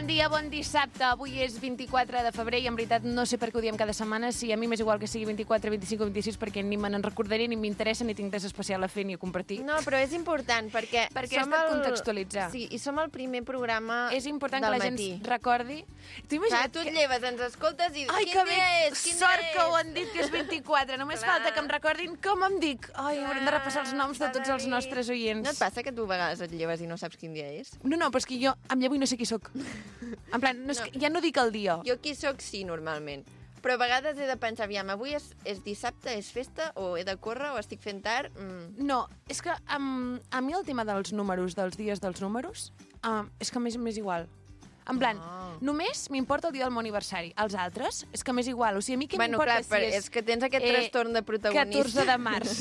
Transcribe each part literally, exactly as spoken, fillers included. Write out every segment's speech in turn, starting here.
Bon dia, bon dissabte. Avui és vint-i-quatre de febrer i en veritat no sé per què ho diem cada setmana. Si a mi m'és igual que sigui vint-i-quatre, vint-i-cinc o vint-i-sis perquè ni me n'en recordaré, ni m'interessa, ni tinc res especial a fer ni a compartir. No, però és important perquè... Perquè som has de el... contextualitzar. Sí, i som el primer programa És important del que la matí. gent recordi... Tu Clar, imagina't tu et que... lleves, ens escoltes i... Ai, quin que dia bé, és? Quin sort dia que ho és? han dit que és vint-i-quatre. Només Clar. falta que em recordin com em dic. Ai, Clar, haurem de repassar els noms de s'ha tots de els dir. nostres oients. No et passa que tu a vegades et lleves i no saps quin dia és? No, no, però és que jo em llevo i no sé qui sóc. En plan, no és No. que, ja no dic el dia. Jo qui sóc sí, normalment. Però a vegades he de pensar, aviam, avui és, és dissabte, és festa, o he de córrer, o estic fent tard... Mm. No, és que um, a mi el tema dels números, dels dies dels números, um, és que m'és m'és igual. En plan, Ah. només m'importa el dia del meu aniversari. Els altres, és que m'és igual. O sigui, a mi què Bueno, m'importa clar, però si és... és que tens aquest trastorn de protagonista. catorze de març.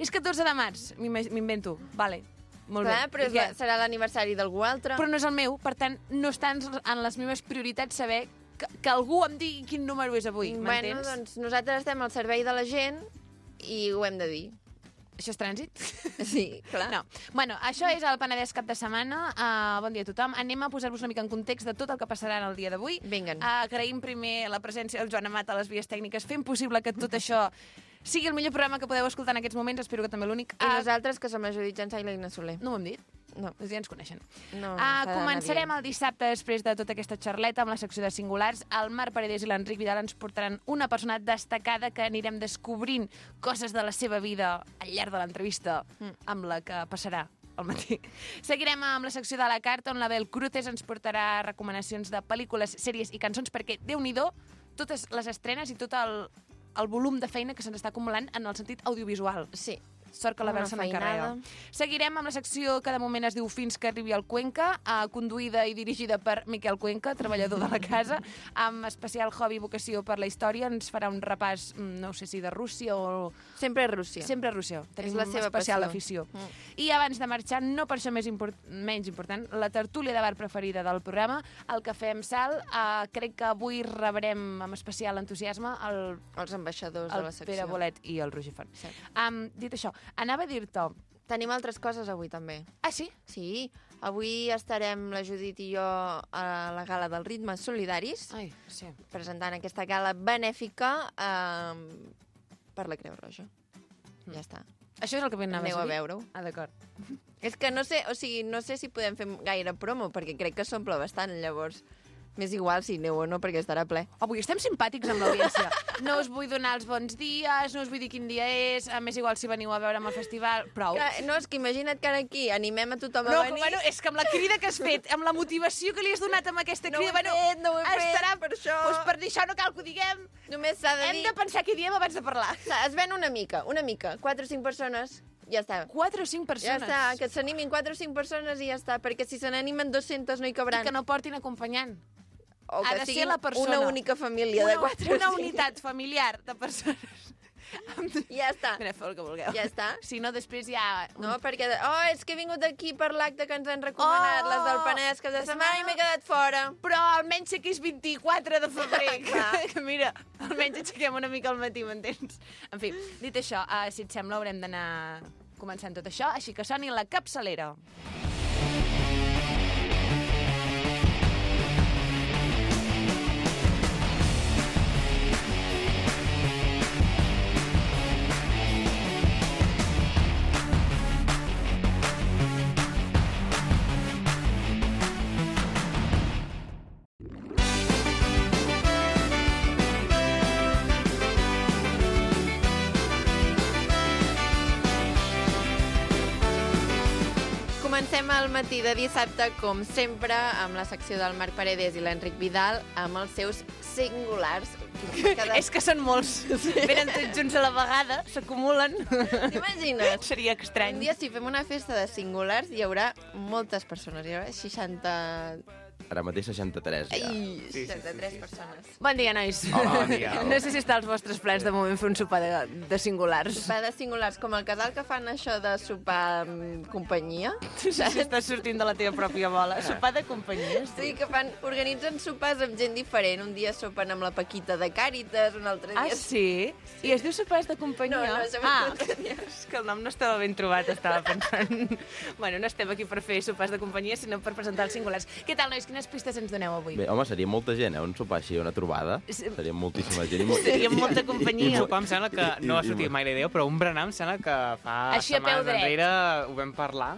És catorze de març, m'im- m'invento. Vale, molt Clar, bé. però I és la, què? serà l'aniversari d'algú altre. Però no és el meu, per tant, no està en en les meves prioritats saber que, que algú em digui quin número és avui, Bueno, m'entens? doncs nosaltres estem al servei de la gent i ho hem de dir. Això és trànsit? Sí, clar. No. Bueno, això és el Penedès cap de setmana. Uh, bon dia a tothom. Anem a posar-vos una mica en context de tot el que passarà en el dia d'avui. Vinguen. Uh, agraïm primer la presència del Joan Amat a les vies tècniques, fent possible que tot això sigui el millor programa que podeu escoltar en aquests moments. Espero que també l'únic. I Uh, nosaltres, que som la Judit Jansa i l'Eina Soler. no ho hem dit? No. Doncs ja ens coneixen. No, Uh, s'ha d'anar començarem dient. el dissabte després de tota aquesta xarleta amb la secció de singulars. El Marc Paredes i l'Enric Vidal ens portaran una persona destacada que anirem descobrint coses de la seva vida al llarg de l'entrevista Mm. amb la que passarà al matí. Seguirem amb la secció de la carta on la Bel Cruces ens portarà recomanacions de pel·lícules, sèries i cançons perquè, déu-n'hi-do, totes les estrenes i tot el, el volum de feina que se'ns està acumulant en el sentit audiovisual. Sí. Sort que la Bel Una se n'encarrega. feinada. Seguirem amb la secció que de moment es diu Fins que arribi al Cuenca, eh, conduïda i dirigida per Miquel Cuenca, treballador de la casa, amb especial hobby i vocació per la història. Ens farà un repàs, mm, no sé si de Rússia o... Sempre és Rússia. Sempre a Rússia. Tenim És la seva especial passió. afició. Mm. I abans de marxar, no per això més import menys important, la tertúlia de bar preferida del programa, el Cafè amb Sal. Eh, crec que avui rebrem amb especial entusiasme el, Els ambaixadors de el la secció. Pere Bolet i el Roger Font. Sí. Um, dit això, anava a dir-te... Tenim altres coses avui, també. Ah, sí? Sí, avui estarem la Judit i jo a la gala dels Ritmes Solidaris, Ai, sí. presentant aquesta gala benèfica eh, per la Creu Roja. Mm. Ja està. Això és el que anaves Aneu a a dir? veure-ho. Ah, d'acord. És que no sé, o sigui, no sé si podem fer gaire promo, perquè crec que s'omple bastant, llavors m'és igual si aneu o no, perquè estarà ple. Avui estem simpàtics amb l'audiència. No us vull donar els bons dies, no us vull dir quin dia és, a més igual si veniu a veure'm al festival, prou. Que, no, és que imagina't que ara aquí animem a tothom No, a venir. bueno, és que amb la crida que has fet, amb la motivació que li has donat amb aquesta No ho crida, he fet, no ho he fet, estarà... per això. Doncs per dir això no cal que ho diguem. Només s'ha de Hem dir... de pensar què diem abans de parlar. Es ven una mica, una mica. Quatre o cinc persones, ja està. Quatre o cinc Ja persones. està, que s'animin quatre o cinc persones i ja està, perquè si se n'animen dues-centes no hi I cabran. que no portin acompanyant. O ha que de ser siguin la persona. una única família una, de quatre Una o cinc. unitat familiar de persones. Ja està. Mira, feu el que vulgueu. Ja està. Si no, després ja... No, perquè... Oh, és que he vingut aquí per l'acte que ens han recomanat, Oh, les del Penedès, que de la setmana i setmana- m'he quedat fora. Però almenys sé que és vint-i-quatre de febrer. Clar. que, que mira, almenys aixequem una mica al matí, m'entens? En fi, dit això, uh, si et sembla, haurem d'anar començant tot això, així que soni la capçalera. Comencem el matí de dissabte, com sempre, amb la secció del Marc Paredes i l'Enric Vidal, amb els seus singulars. Cada... És que són molts. Sí. Venen tots junts a la vegada, s'acumulen. T'imagines? Seria estrany. Un dia, si fem una festa de singulars, hi haurà moltes persones. Hi haurà seixanta... Ara mateix seixanta-tres, ja. Ai, seixanta-tres persones. Bon dia, nois. Hola, bon dia. No sé si està als vostres plans de moment fer un sopar de, de singulars. Sopar de singulars, com el casal que fan això de sopar amb companyia. Sí, sí, estàs sortint de la teva pròpia bola. Sopar de companyia. Sí, que fan, organitzen sopars amb gent diferent. Un dia sopen amb la Paquita de Càritas, un altre dia... Ah, sí? sí? I es diu sopars de companyia? No, no, això ah, m'ho tenia. és que el nom no estava ben trobat, estava pensant. Bueno, no estem aquí per fer sopars de companyia, sinó per presentar els singulars. Què tal, nois? Quina quines pistes ens doneu avui? Bé, home, seria molta gent, eh? Un sopar així, una trobada. Seria moltíssima gent. I molt... Seria molta I companyia. un sopar em sembla que no ha sortit mai la idea, però un berenar em sembla que fa Així a peu setmanes dret. enrere ho vam parlar.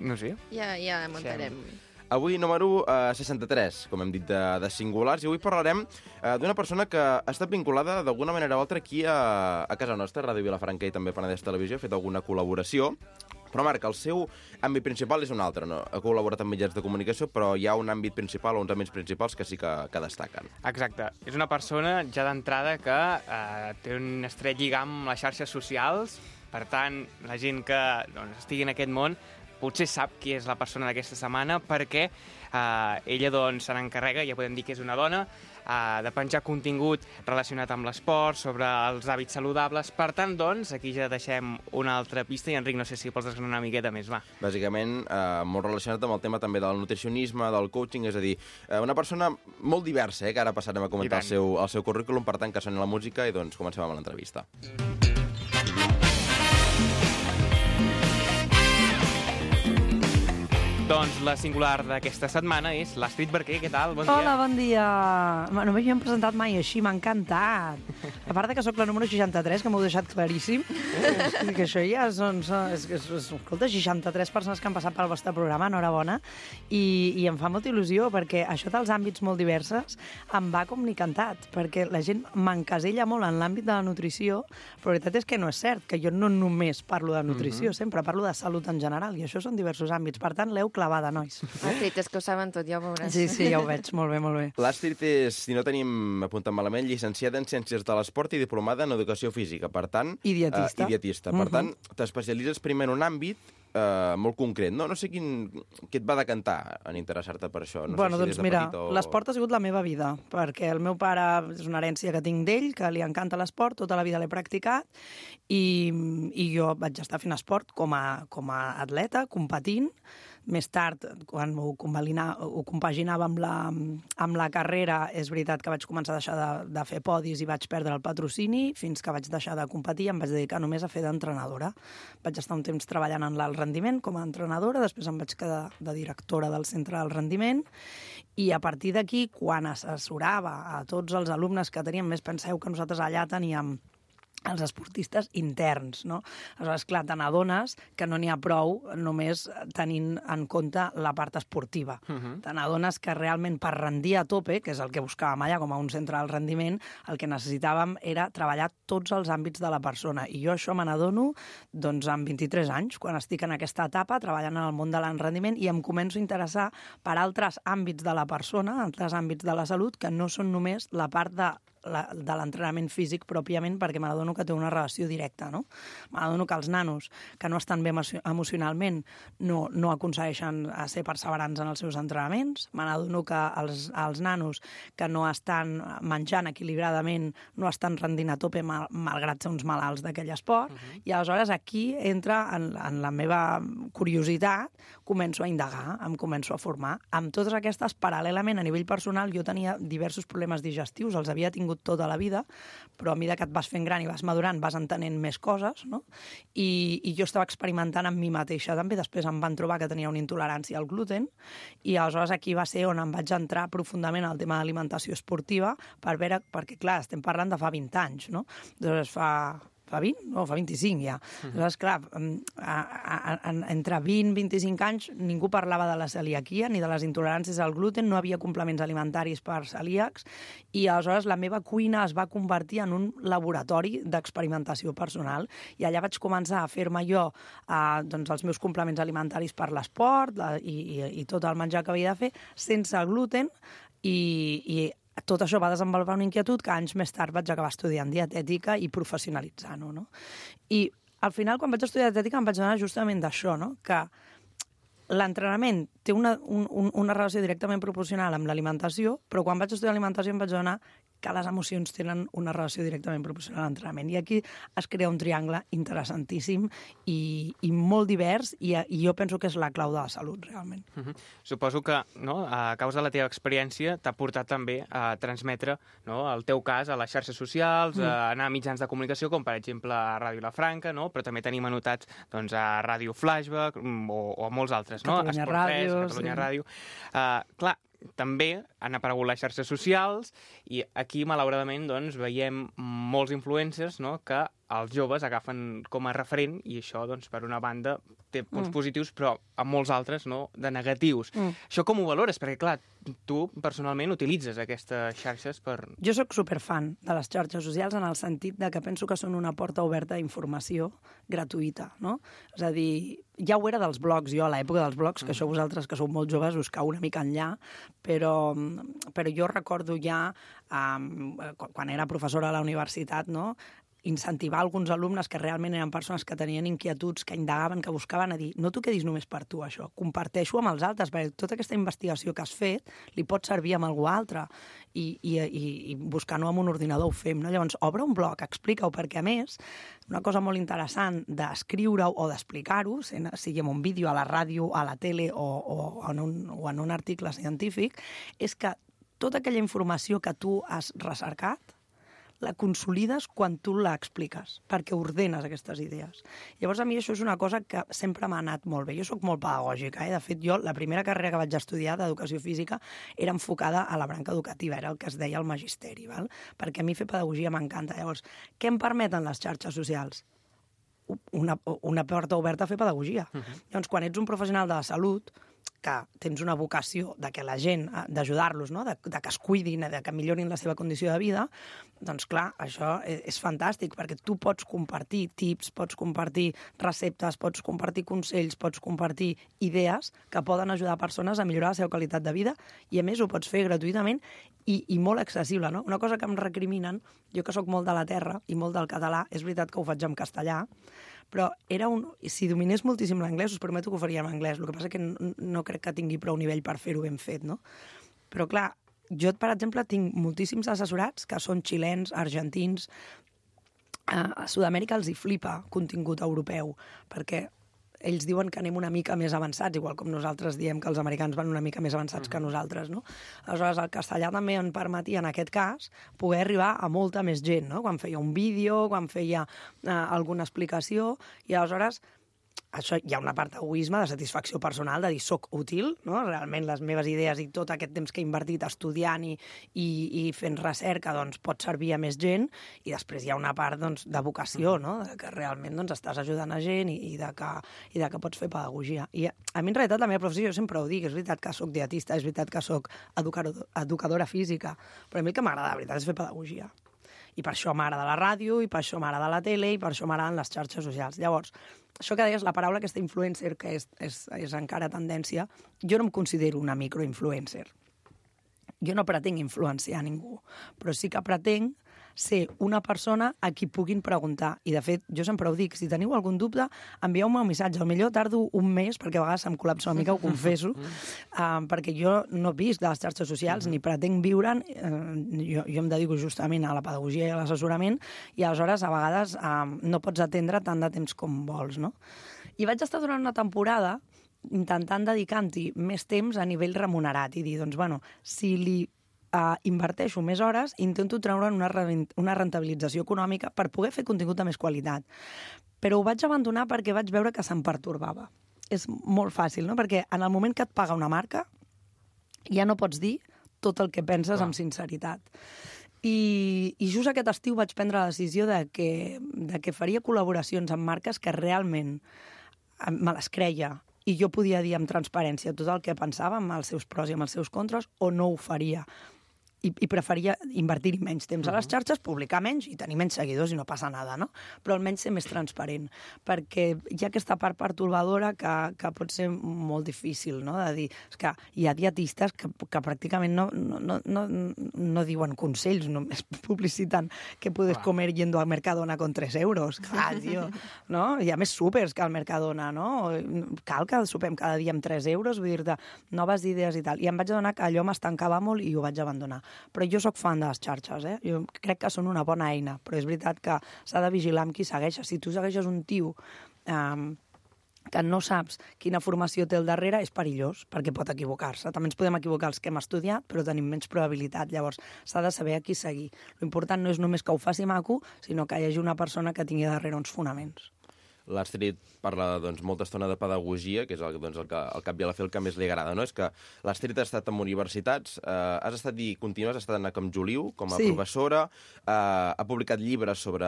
No sé. Ja, ja muntarem. Avui número uh, seixanta-tres, com hem dit, de, de singulars, i avui parlarem uh, d'una persona que ha estat vinculada d'alguna manera o altra aquí a, a casa nostra, Ràdio Vilafranca i també Penedès Televisió, ha fet alguna col·laboració, però Marc, el seu àmbit principal és un altre, no? Ha col·laborat amb mitjans de comunicació, però hi ha un àmbit principal o uns àmbits principals que sí que, que destaquen. Exacte. És una persona ja d'entrada que eh, té un estret lligam amb les xarxes socials, per tant, la gent que doncs, estigui en aquest món potser sap qui és la persona d'aquesta setmana perquè eh, ella doncs, se n'encarrega, ja podem dir que és una dona, eh, de penjar contingut relacionat amb l'esport, sobre els hàbits saludables. Per tant, doncs, aquí ja deixem una altra pista i, Enric, no sé si vols desgranar una miqueta més, va. Bàsicament, eh, molt relacionat amb el tema també del nutricionisme, del coaching, és a dir, eh, una persona molt diversa, eh, que ara passarem a comentar el seu, el seu currículum, per tant, que soni la música i doncs comencem amb l'entrevista. Doncs la singular d'aquesta setmana és l'Astrid Barquer. Què tal? Bon dia. Hola, bon dia. No m'havíem presentat mai així, m'ha encantat. A part de que sóc la número seixanta-tres, que m'heu deixat claríssim, és que això ja són... són és, és, és, escolta, seixanta-tres persones que han passat pel vostre programa, enhorabona, i, i em fa molta il·lusió, perquè això dels àmbits molt diversos em va com ni cantat, perquè la gent m'encasella molt en l'àmbit de la nutrició, però la veritat és que no és cert, que jo no només parlo de nutrició, mm-hmm. sempre parlo de salut en general, i això són diversos àmbits. Per tant, l'heu clavada, nois. Astrid, és que ho saben tot, ja ho veuràs. Sí, sí, ja ho veig. Molt bé, molt bé. L'Astrid és, si no tenim apuntat malament, llicenciada en Ciències de l'Esport i diplomada en Educació Física. Per tant... I dietista. Uh, I dietista. Per uh-huh. tant, t'especialitzes primer en un àmbit uh, molt concret. No, no sé quin, què et va decantar en interessar-te per això. No bueno, sé si doncs des de mira, petit o... l'esport ha sigut la meva vida, perquè el meu pare és una herència que tinc d'ell, que li encanta l'esport, tota la vida l'he practicat, i, i jo vaig estar fent esport com a, com a atleta, competint. Més tard, quan ho, ho compaginava amb la, amb la carrera, és veritat que vaig començar a deixar de, de fer podis i vaig perdre el patrocini, fins que vaig deixar de competir i em vaig dedicar només a fer d'entrenadora. Vaig estar un temps treballant en l'alt rendiment com a entrenadora, després em vaig quedar de directora del centre del rendiment, i a partir d'aquí, quan assessorava a tots els alumnes que teníem, més penseu que nosaltres allà teníem els esportistes interns, no? Aleshores, clar, te n'adones que no n'hi ha prou només tenint en compte la part esportiva. Uh-huh. Te n'adones que realment per rendir a tope, que és el que buscàvem allà com a un centre del rendiment, el que necessitàvem era treballar tots els àmbits de la persona. I jo això me n'adono doncs, amb vint-i-tres anys, quan estic en aquesta etapa treballant en el món de l'enrendiment i em començo a interessar per altres àmbits de la persona, altres àmbits de la salut, que no són només la part de La, de l'entrenament físic pròpiament, perquè m'adono que té una relació directa, no? M'adono que els nanos que no estan bé emocionalment no, no aconsegueixen ser perseverants en els seus entrenaments, m'adono que els, els nanos que no estan menjant equilibradament no estan rendint a tope mal, malgrat ser uns malalts d'aquell esport, uh-huh. i aleshores aquí entra en, en la meva curiositat, començo a indagar, em començo a formar. Amb totes aquestes, paral·lelament, a nivell personal, jo tenia diversos problemes digestius, els havia tingut tota la vida, però a mesura que et vas fent gran i vas madurant, vas entenent més coses, no? I, i jo estava experimentant amb mi mateixa també. Després em van trobar que tenia una intolerància al gluten i aleshores aquí va ser on em vaig entrar profundament al tema d'alimentació esportiva per veure, perquè clar, estem parlant de fa vint anys, no? Doncs fa... fa vint? No, fa vint-i-cinc ja. Uh-huh. Aleshores, clar, a, a, a, entre vint i vint-i-cinc anys ningú parlava de la celiaquia ni de les intoleràncies al gluten, no havia complements alimentaris per celíacs i aleshores la meva cuina es va convertir en un laboratori d'experimentació personal i allà vaig començar a fer-me jo eh, doncs, els meus complements alimentaris per l'esport la, i, i, i tot el menjar que havia de fer sense gluten i, i tot això va desenvolupar una inquietud que anys més tard vaig acabar estudiant dietètica i professionalitzant-ho, no? I al final, quan vaig estudiar dietètica, em vaig donar justament d'això, no? Que l'entrenament té una, un, una relació directament proporcional amb l'alimentació, però quan vaig estudiar alimentació em vaig donar que les emocions tenen una relació directament proporcional a l'entrenament. I aquí es crea un triangle interessantíssim i, i molt divers i, i jo penso que és la clau de la salut, realment. Uh-huh. Suposo que no, a causa de la teva experiència t'ha portat també a transmetre no, el teu cas a les xarxes socials, mm. a anar a mitjans de comunicació, com per exemple a Ràdio Vilafranca, no? Però també tenim anotats doncs, a Ràdio Flashback o, o a molts altres, no? Catalunya Ràdio. Catalunya sí. Ràdio. Uh, clar, també han aparegut les xarxes socials i aquí, malauradament, doncs, veiem molts influencers, no?, que els joves agafen com a referent i això, doncs, per una banda, té punts mm. positius, però amb molts altres, no?, de negatius. Mm. Això com ho valores? Perquè, clar, tu personalment utilitzes aquestes xarxes per... Jo sóc superfan de les xarxes socials en el sentit de que penso que són una porta oberta a informació gratuïta, no? És a dir, ja ho era dels blogs, jo a l'època dels blogs, que això vosaltres que sou molt joves us cau una mica enllà, però, però jo recordo ja, um, quan era professora a la universitat, no?, incentivar alguns alumnes que realment eren persones que tenien inquietuds, que indagaven, que buscaven a dir no t'ho quedis només per tu, això, comparteixo amb els altres, perquè tota aquesta investigació que has fet li pot servir amb algú altre i, i, i, i buscar-ho amb un ordinador ho fem, no? Llavors, obre un blog, explica-ho, perquè a més, una cosa molt interessant d'escriure-ho o d'explicar-ho, sigui en un vídeo, a la ràdio, a la tele o, o, en un, o en un article científic, és que tota aquella informació que tu has recercat la consolides quan tu l'expliques, perquè ordenes aquestes idees. Llavors, a mi això és una cosa que sempre m'ha anat molt bé. Jo sóc molt pedagògica, eh? De fet, jo, la primera carrera que vaig estudiar d'educació física era enfocada a la branca educativa, era el que es deia el magisteri, val? Perquè a mi fer pedagogia m'encanta. Llavors, què em permeten les xarxes socials? Una, una porta oberta a fer pedagogia. Uh-huh. Llavors, quan ets un professional de la salut, que tens una vocació de que la gent, d'ajudar-los, no? de, de que es cuidin, de que millorin la seva condició de vida, doncs clar, això és, és fantàstic, perquè tu pots compartir tips, pots compartir receptes, pots compartir consells, pots compartir idees que poden ajudar persones a millorar la seva qualitat de vida i a més ho pots fer gratuïtament i, i molt accessible, no? Una cosa que em recriminen, jo que sóc molt de la terra i molt del català, és veritat que ho faig en castellà, però era un... si dominés moltíssim l'anglès, us prometo que ho faria en anglès. El que passa és que no, no crec que tingui prou nivell per fer-ho ben fet, no? Però, clar, jo, per exemple, tinc moltíssims assessorats que són xilens, argentins. A Sud-amèrica els hi flipa contingut europeu, perquè ells diuen que anem una mica més avançats, igual com nosaltres diem que els americans van una mica més avançats uh-huh. que nosaltres, no? Aleshores, el castellà també em permetia, en aquest cas, poder arribar a molta més gent, no? Quan feia un vídeo, quan feia eh, alguna explicació, i aleshores això hi ha una part d'egoisme, de satisfacció personal, de dir soc útil, no? Realment les meves idees i tot aquest temps que he invertit estudiant i, i, i fent recerca doncs, pot servir a més gent, i després hi ha una part doncs, de vocació, no? De que realment doncs, estàs ajudant a gent i, i, de que, i de que pots fer pedagogia. I a mi, en realitat, la meva professió, jo sempre ho dic, és veritat que soc dietista, és veritat que soc educador, educadora física, però a mi el que m'agrada, la veritat, és fer pedagogia. I per això m'agrada la ràdio, i per això m'agrada la tele, i per això m'agraden les xarxes socials. Llavors, això que deies, la paraula aquesta influencer, que és, és, és encara tendència, jo no em considero una microinfluencer. Jo no pretenc influenciar ningú, però sí que pretenc ser una persona a qui puguin preguntar. I, de fet, jo sempre ho dic, si teniu algun dubte, envieu-me un missatge. Potser tardo un mes, perquè a vegades em col·lapso una mica, ho confesso, uh, perquè jo no visc de les xarxes socials, ni pretenc viure'n. Uh, jo, jo em dedico justament a la pedagogia i a l'assessorament, i aleshores, a vegades, uh, no pots atendre tant de temps com vols, no? I vaig estar durant una temporada intentant dedicar-hi més temps a nivell remunerat i dir, doncs, bueno, si li Uh, inverteixo més hores, intento treure una, una rentabilització econòmica per poder fer contingut de més qualitat. Però ho vaig abandonar perquè vaig veure que se'm pertorbava. És molt fàcil, no? Perquè en el moment que et paga una marca ja no pots dir tot el que penses amb sinceritat. I, i just aquest estiu vaig prendre la decisió de que, de que faria col·laboracions amb marques que realment me les creia i jo podia dir amb transparència tot el que pensava, amb els seus pros i amb els seus contres, o no ho faria. I, i preferia invertir-hi menys temps uh-huh. a les xarxes, publicar menys i tenir menys seguidors i no passa nada, no? Però almenys ser més transparent, perquè hi ha aquesta part pertorbadora que, que pot ser molt difícil, no? De dir, és que hi ha dietistes que, que pràcticament no, no, no, no diuen consells, només publiciten que puedes comer yendo al Mercadona con tres euros. Clar, tio, no? Hi ha més súpers que al Mercadona, no? Cal que sopem cada dia amb tres euros, vull dir-te, noves idees i tal. I em vaig adonar que allò m'estancava molt i ho vaig abandonar. Però jo sóc fan de les xarxes, eh? Jo crec que són una bona eina, però és veritat que s'ha de vigilar amb qui segueixes. Si tu segueixes un tio eh, que no saps quina formació té al darrere, és perillós, perquè pot equivocar-se. També ens podem equivocar els que hem estudiat, però tenim menys probabilitat. Llavors, s'ha de saber a qui seguir. L'important no és només que ho faci maco, sinó que hi hagi una persona que tingui darrere uns fonaments. l'Astrid parla doncs, molta estona de pedagogia, que és el, doncs, el, que, el cap i a la fi el que més li agrada, no? És que l'Astrid ha estat en universitats, eh, has estat i continues, has estat anant com Juliu, com a Sí. professora, eh, ha publicat llibres sobre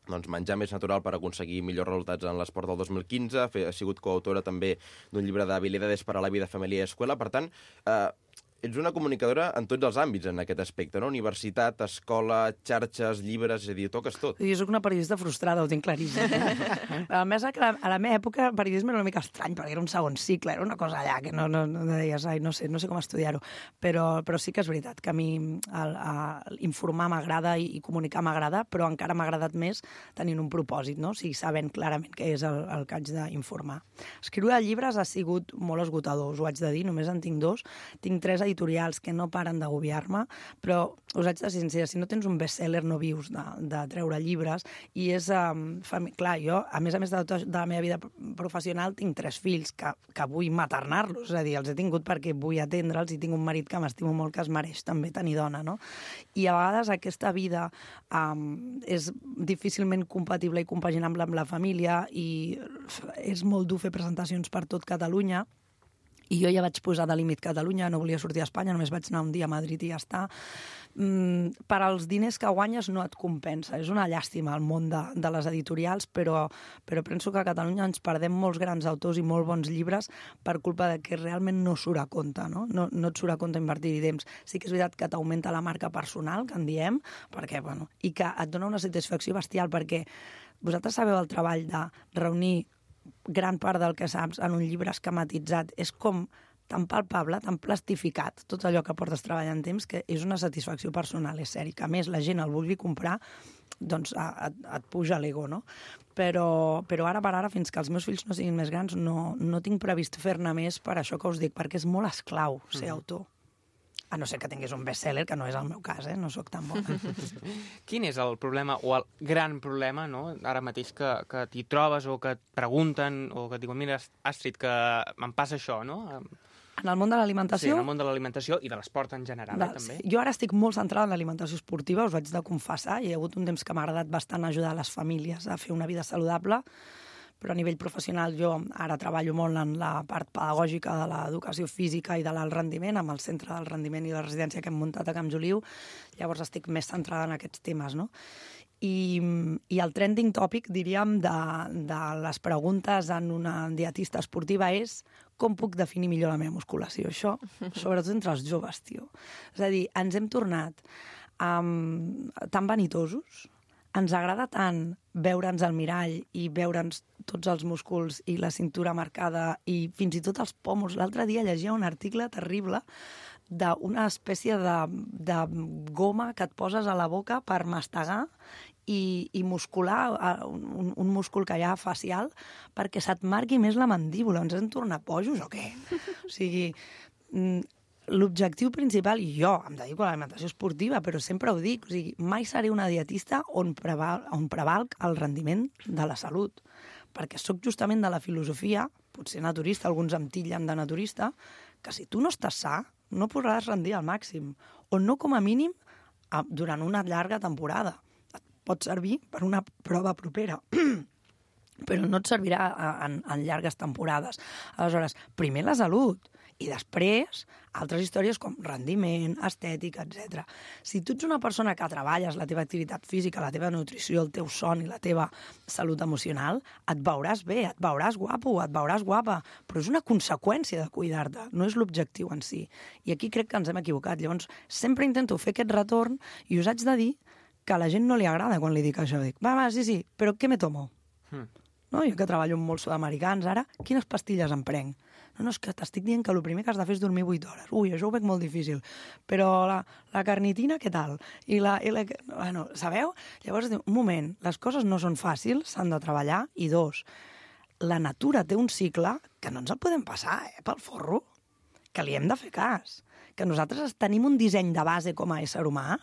doncs, menjar més natural per aconseguir millors resultats en l'esport del dos mil quinze, ha, fet, ha sigut coautora també d'un llibre d'habilidades per a la vida, família i escola, per tant, eh, ets una comunicadora en tots els àmbits en aquest aspecte, no? Universitat, escola, xarxes, llibres, és a dir, toques tot. Jo soc una periodista frustrada, ho tinc claríssim. A més, a la, a la meva època el periodisme era una mica estrany, perquè era un segon cicle, era una cosa allà que no, no, no deies, ai, no sé, no sé com estudiar-ho. Però, però sí que és veritat que a mi el, el, informar m'agrada i, i comunicar m'agrada, però encara m'ha agradat més tenint un propòsit, no? O sigui, sabent clarament què és el, el que haig d'informar. Escriure llibres ha sigut molt esgotador, us ho haig de dir, només en tinc dos. Tinc tres editorials que no paren d'agobiar-me, però us haig de ser sincera, si no tens un best-seller no vius de, de treure llibres, i és, um, fami... clar, jo, a més a més de, de la meva vida professional, tinc tres fills que, que vull maternar-los, és a dir, els he tingut perquè vull atendre'ls i tinc un marit que m'estimo molt, que es mereix també tenir dona, no? I a vegades aquesta vida um, és difícilment compatible i compaginable amb la família, i és molt dur fer presentacions per tot Catalunya. I jo ja vaig posar de límit Catalunya, no volia sortir a Espanya, només vaig anar un dia a Madrid i ja està. Mm, per als diners que guanyes no et compensa. És una llàstima el món de, de les editorials, però, però penso que a Catalunya ens perdem molts grans autors i molt bons llibres per culpa de que realment no surt a compte, no? No, no et surt a compte invertir-hi temps. Sí que és veritat que t'augmenta la marca personal, que en diem, perquè, bueno, i que et dona una satisfacció bestial, perquè vosaltres sabeu el treball de reunir gran part del que saps en un llibre esquematitzat, és com tan palpable, tan plastificat, tot allò que portes treballant temps, que és una satisfacció personal, és cert, que a més la gent el vulgui comprar, doncs et, et puja l'ego, no? Però, però ara per ara, fins que els meus fills no siguin més grans, no, no tinc previst fer-ne més per això que us dic, perquè és molt esclau ser mm. autor. A no ser que tingués un best-seller, que no és el meu cas, eh? No sóc tan bona. Quin és el problema, o el gran problema, no? Ara mateix que, que t'hi trobes o que et pregunten o que et diuen, mira, Astrid, que em passa això, no? En el món de l'alimentació? Sí, en el món de l'alimentació i de l'esport en general, Val, eh, també. Sí. Jo ara estic molt centrada en l'alimentació esportiva, us ho haig de confessar, i hi ha hagut un temps que m'ha agradat bastant ajudar les famílies a fer una vida saludable, però a nivell professional jo ara treballo molt en la part pedagògica de l'educació física i de l'alt rendiment, amb el centre del rendiment i la residència que hem muntat a Camp Joliu, llavors estic més centrada en aquests temes, no? I, i el trending topic, diríem, de, de les preguntes en una dietista esportiva és com puc definir millor la meva musculació? Això, sobretot entre els joves, tio. És a dir, ens hem tornat um, tan vanitosos, ens agrada tant veure'ns al mirall i veure'ns tots els músculs i la cintura marcada i fins i tot els pòmuls. L'altre dia llegia un article terrible d'una espècie de, de goma que et poses a la boca per mastegar i, i muscular un, un múscul que hi ha facial perquè se't marqui més la mandíbula. Ens hem tornat bojos o què? O sigui, l'objectiu principal, i jo em dedico a l'alimentació esportiva, però sempre ho dic, o sigui, mai seré una dietista on, preval, on prevalc el rendiment de la salut, perquè sóc justament de la filosofia, potser naturista, alguns em titllen de naturista, que si tu no estàs sa, no podràs rendir al màxim, o no com a mínim durant una llarga temporada. Et pot servir per una prova propera, però no et servirà en, en llargues temporades. Aleshores, primer la salut, i després altres històries com rendiment, estètica, etcètera. Si tu ets una persona que treballes la teva activitat física, la teva nutrició, el teu son i la teva salut emocional, et veuràs bé, et veuràs guapo, et veuràs guapa, però és una conseqüència de cuidar-te, no és l'objectiu en si. I aquí crec que ens hem equivocat. Llavors, sempre intento fer aquest retorn i us haig de dir que a la gent no li agrada quan li dic això. Dic, va, va, sí, sí, però què me tomo? Hmm. No? Jo que treballo amb molts sud-americans ara, quines pastilles em prenc? No, no, és que t'estic dient que el primer que has de fer és dormir vuit hores. Ui, això ho veig molt difícil. Però la, la carnitina, què tal? I la, i la... Bueno, sabeu? Llavors, un moment, les coses no són fàcils, s'han de treballar, i dos, la natura té un cicle que no ens el podem passar, eh, pel forro, que li hem de fer cas. Que nosaltres tenim un disseny de base com a ésser humà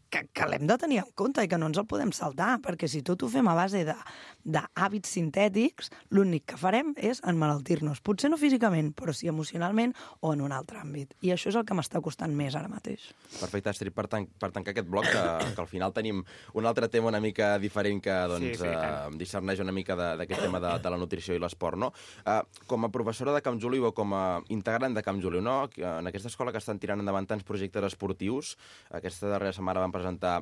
que, que l'hem de tenir en compte i que no ens el podem saltar, perquè si tot ho fem a base de, d'hàbits sintètics, l'únic que farem és emmalaltir-nos. Potser no físicament, però sí emocionalment o en un altre àmbit. I això és el que m'està costant més ara mateix. Perfecte, Astrid, per, tan per tancar aquest bloc, que, que al final tenim un altre tema una mica diferent que doncs, sí, sí, eh, discerneix una mica d'aquest tema de, de la nutrició i l'esport, no? Eh, com a professora de Camp Joliu o com a integrant de Camp Joliu, no? En aquesta escola que estan tirant endavant tants projectes esportius, aquesta darrera setmana van presentar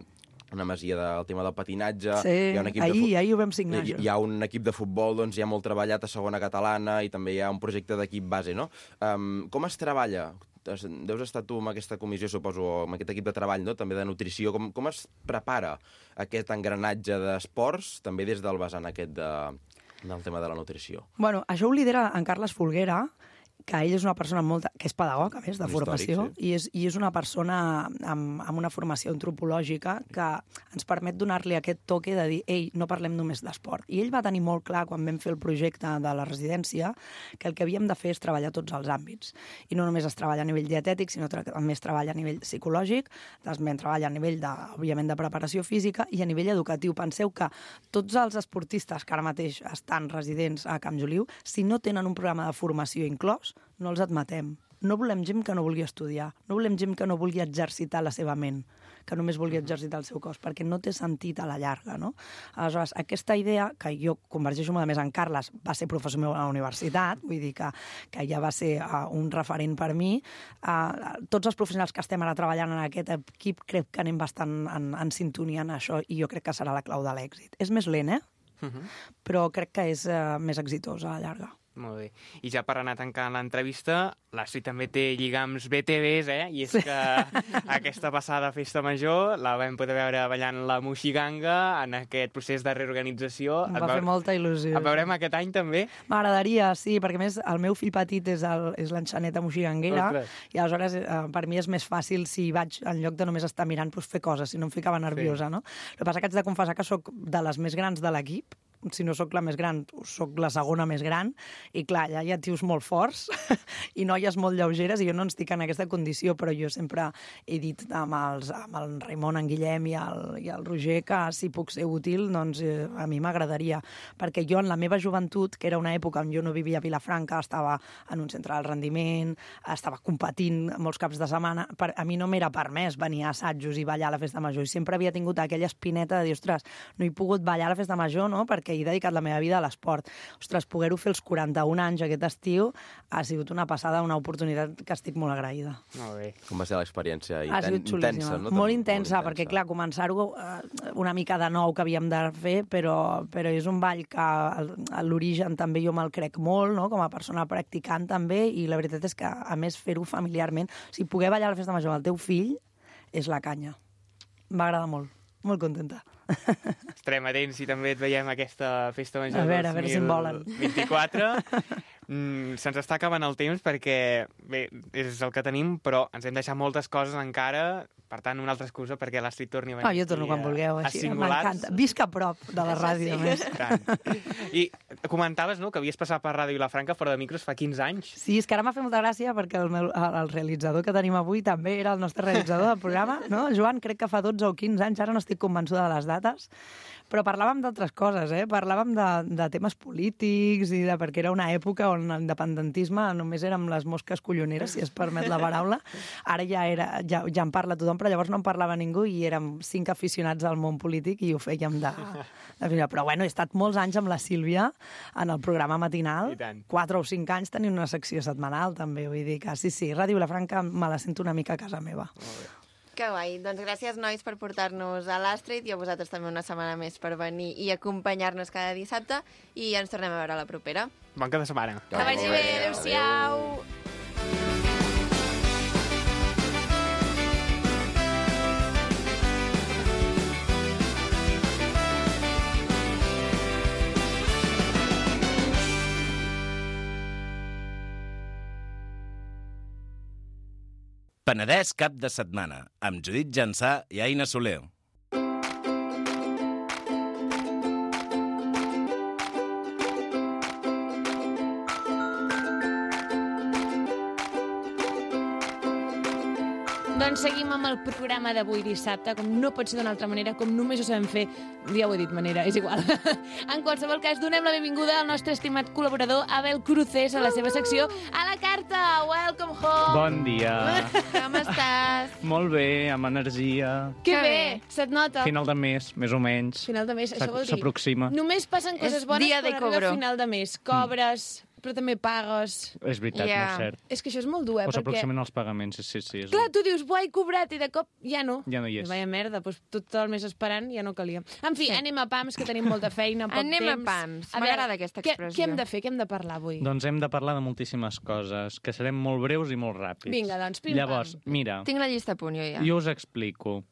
una masia del tema del patinatge. Sí, hi ha un equip ahir, de ahir ho vam signar, hi, hi ha un equip de futbol, doncs, ja molt treballat a segona catalana i també hi ha un projecte d'equip base, no? Um, com es treballa? Deus estar tu amb aquesta comissió, suposo, amb aquest equip de treball, no? També de nutrició. Com, com es prepara aquest engranatge d'esports, també des del vessant aquest de, del tema de la nutrició? Bueno, això ho lidera en Carles Folguera, que ell és una persona molt, que és pedagog, a més, de un formació, històric, sí. i, és, i és una persona amb, amb una formació antropològica que ens permet donar-li aquest toque de dir, ei, no parlem només d'esport. I ell va tenir molt clar, quan vam fer el projecte de la residència, que el que havíem de fer és treballar tots els àmbits. I no només es treballa a nivell dietètic, sinó que també es treballa a nivell psicològic, també es treballa a nivell, de, òbviament, de preparació física i a nivell educatiu. Penseu que tots els esportistes que ara mateix estan residents a Camp Joliu, si no tenen un programa de formació inclòs, no els admetem. No volem gent que no vulgui estudiar, no volem gent que no vulgui exercitar la seva ment, que només vulgui exercitar el seu cos, perquè no té sentit a la llarga, no? Aleshores, aquesta idea, que jo convergeixo molt més en Carles, va ser professor meu a la universitat, vull dir que, que ja va ser uh, un referent per mi. Uh, tots els professionals que estem ara treballant en aquest equip crec que anem bastant en, en sintonia en això i jo crec que serà la clau de l'èxit. És més lent, eh? Uh-huh. Però crec que és uh, més exitós a la llarga. Molt bé. I ja per anar tancant l'entrevista, l'Astrid també té lligams B T Vs, eh? I és que aquesta passada festa major la vam poder veure ballant la Moixiganga en aquest procés de reorganització. Em va fer molta il·lusió. El veurem aquest any també? M'agradaria, sí, perquè a més el meu fill petit és el, és l'enxaneta moixiganguera. Ostres. I aleshores eh, per mi és més fàcil si vaig, en lloc de només estar mirant, doncs fer coses, si no em ficava nerviosa, sí. No? El que passa que haig de confessar que sóc de les més grans de l'equip, si no sóc la més gran, sóc la segona més gran, i clar, allà hi ha tios molt forts i noies molt lleugeres, i jo no ens estic en aquesta condició, però jo sempre he dit amb, els, amb el Raimon, en Guillem i el, i el Roger que si puc ser útil, doncs eh, a mi m'agradaria, perquè jo en la meva joventut, que era una època on jo no vivia a Vilafranca, estava en un centre del rendiment, estava competint molts caps de setmana, per, a mi no m'era permès venir a assajos i ballar a la festa major, i sempre havia tingut aquella espineta de dir, ostres, no he pogut ballar a la festa major, no?, perquè he dedicat la meva vida a l'esport. Ostres, poder-ho fer els quaranta-un anys aquest estiu ha sigut una passada, una oportunitat que estic molt agraïda. Molt bé. Com va ser l'experiència? Ha sigut xulíssima. No? Molt intensa, perquè clar, començar-ho una mica de nou que havíem de fer, però, però és un ball que a l'origen també jo me'l crec molt, no?, com a persona practicant també, i la veritat és que, a més, fer-ho familiarment, o sigui, poder ballar a la festa major amb el teu fill és la canya. M'agrada molt. Molt contenta. Estarem atents si també et veiem aquesta festa major a veure, a veure si en volen. dos mil vint-i-quatre. Mm, se'ns està acabant el temps perquè, bé, és el que tenim, però ens hem deixat moltes coses encara, per tant, una altra excusa perquè l'Astrid torni a venir. Oh, jo torno quan vulgueu, així, m'encanta. Visc a prop de la ràdio, sí. Més. I comentaves, no?, que havies passat per Ràdio Vilafranca fora de micros fa quinze anys. Sí, és que ara m'ha fet molta gràcia perquè el, meu, el realitzador que tenim avui també era el nostre realitzador del programa, no? Joan, crec que fa dotze o quinze anys, ara no estic convençuda de les dates, però parlàvem d'altres coses, eh? Parlàvem de, de temes polítics i de, perquè era una època on l'independentisme només érem les mosques colloneres, si es permet la paraula. Ara ja, era, ja, ja en parla tothom, però llavors no en parlava ningú i érem cinc aficionats al món polític i ho fèiem de... de però bueno, he estat molts anys amb la Sílvia en el programa matinal, quatre o cinc anys tenint una secció setmanal també, vull dir que sí, sí, Ràdio Vilafranca me la sento una mica a casa meva. Que guai. Doncs gràcies, nois, per portar-nos a l'Astrid i a vosaltres també una setmana més per venir i acompanyar-nos cada dissabte i ens tornem a veure a la propera. Bon cap de setmana. Que vagi bé. Adéu-siau. Penedès cap de setmana, amb Judit Jansà i Aina Soler. Doncs Doncs seguim amb el programa d'avui dissabte, com no pot ser d'una altra manera, com només ho sabem fer, ja ho he dit manera, és igual. En qualsevol cas, donem la benvinguda al nostre estimat col·laborador Abel Cruces a la seva secció A la carta. Welcome home. Bon dia. Com estàs? Molt bé, amb energia. Que Que bé, bé. se't nota. Final de mes, més o menys. Final de mes, això vol dir... S'aproxima. Només passen coses És bones dia de quan arriba cobro. a final de mes. Cobres, però també pagues. És veritat, Ja. molt cert. És que això és molt dur, eh? O Perquè, s'aproximen els pagaments, sí, sí. És... clar, tu dius, buah, he cobrat, i de cop ja no. Ja no hi és. Vaya merda, doncs tot el mes esperant ja no calia. En fi, Sí. anem a pams, que tenim molta feina, poc Anem a temps. pams. A veure, M'agrada aquesta què- expressió. Què hem de fer? Què hem de parlar avui? Doncs hem de parlar de moltíssimes coses, que serem molt breus i molt ràpids. Vinga, doncs, pim-pam. Llavors, mira, Tinc la llista a punt, jo ja. jo us explico.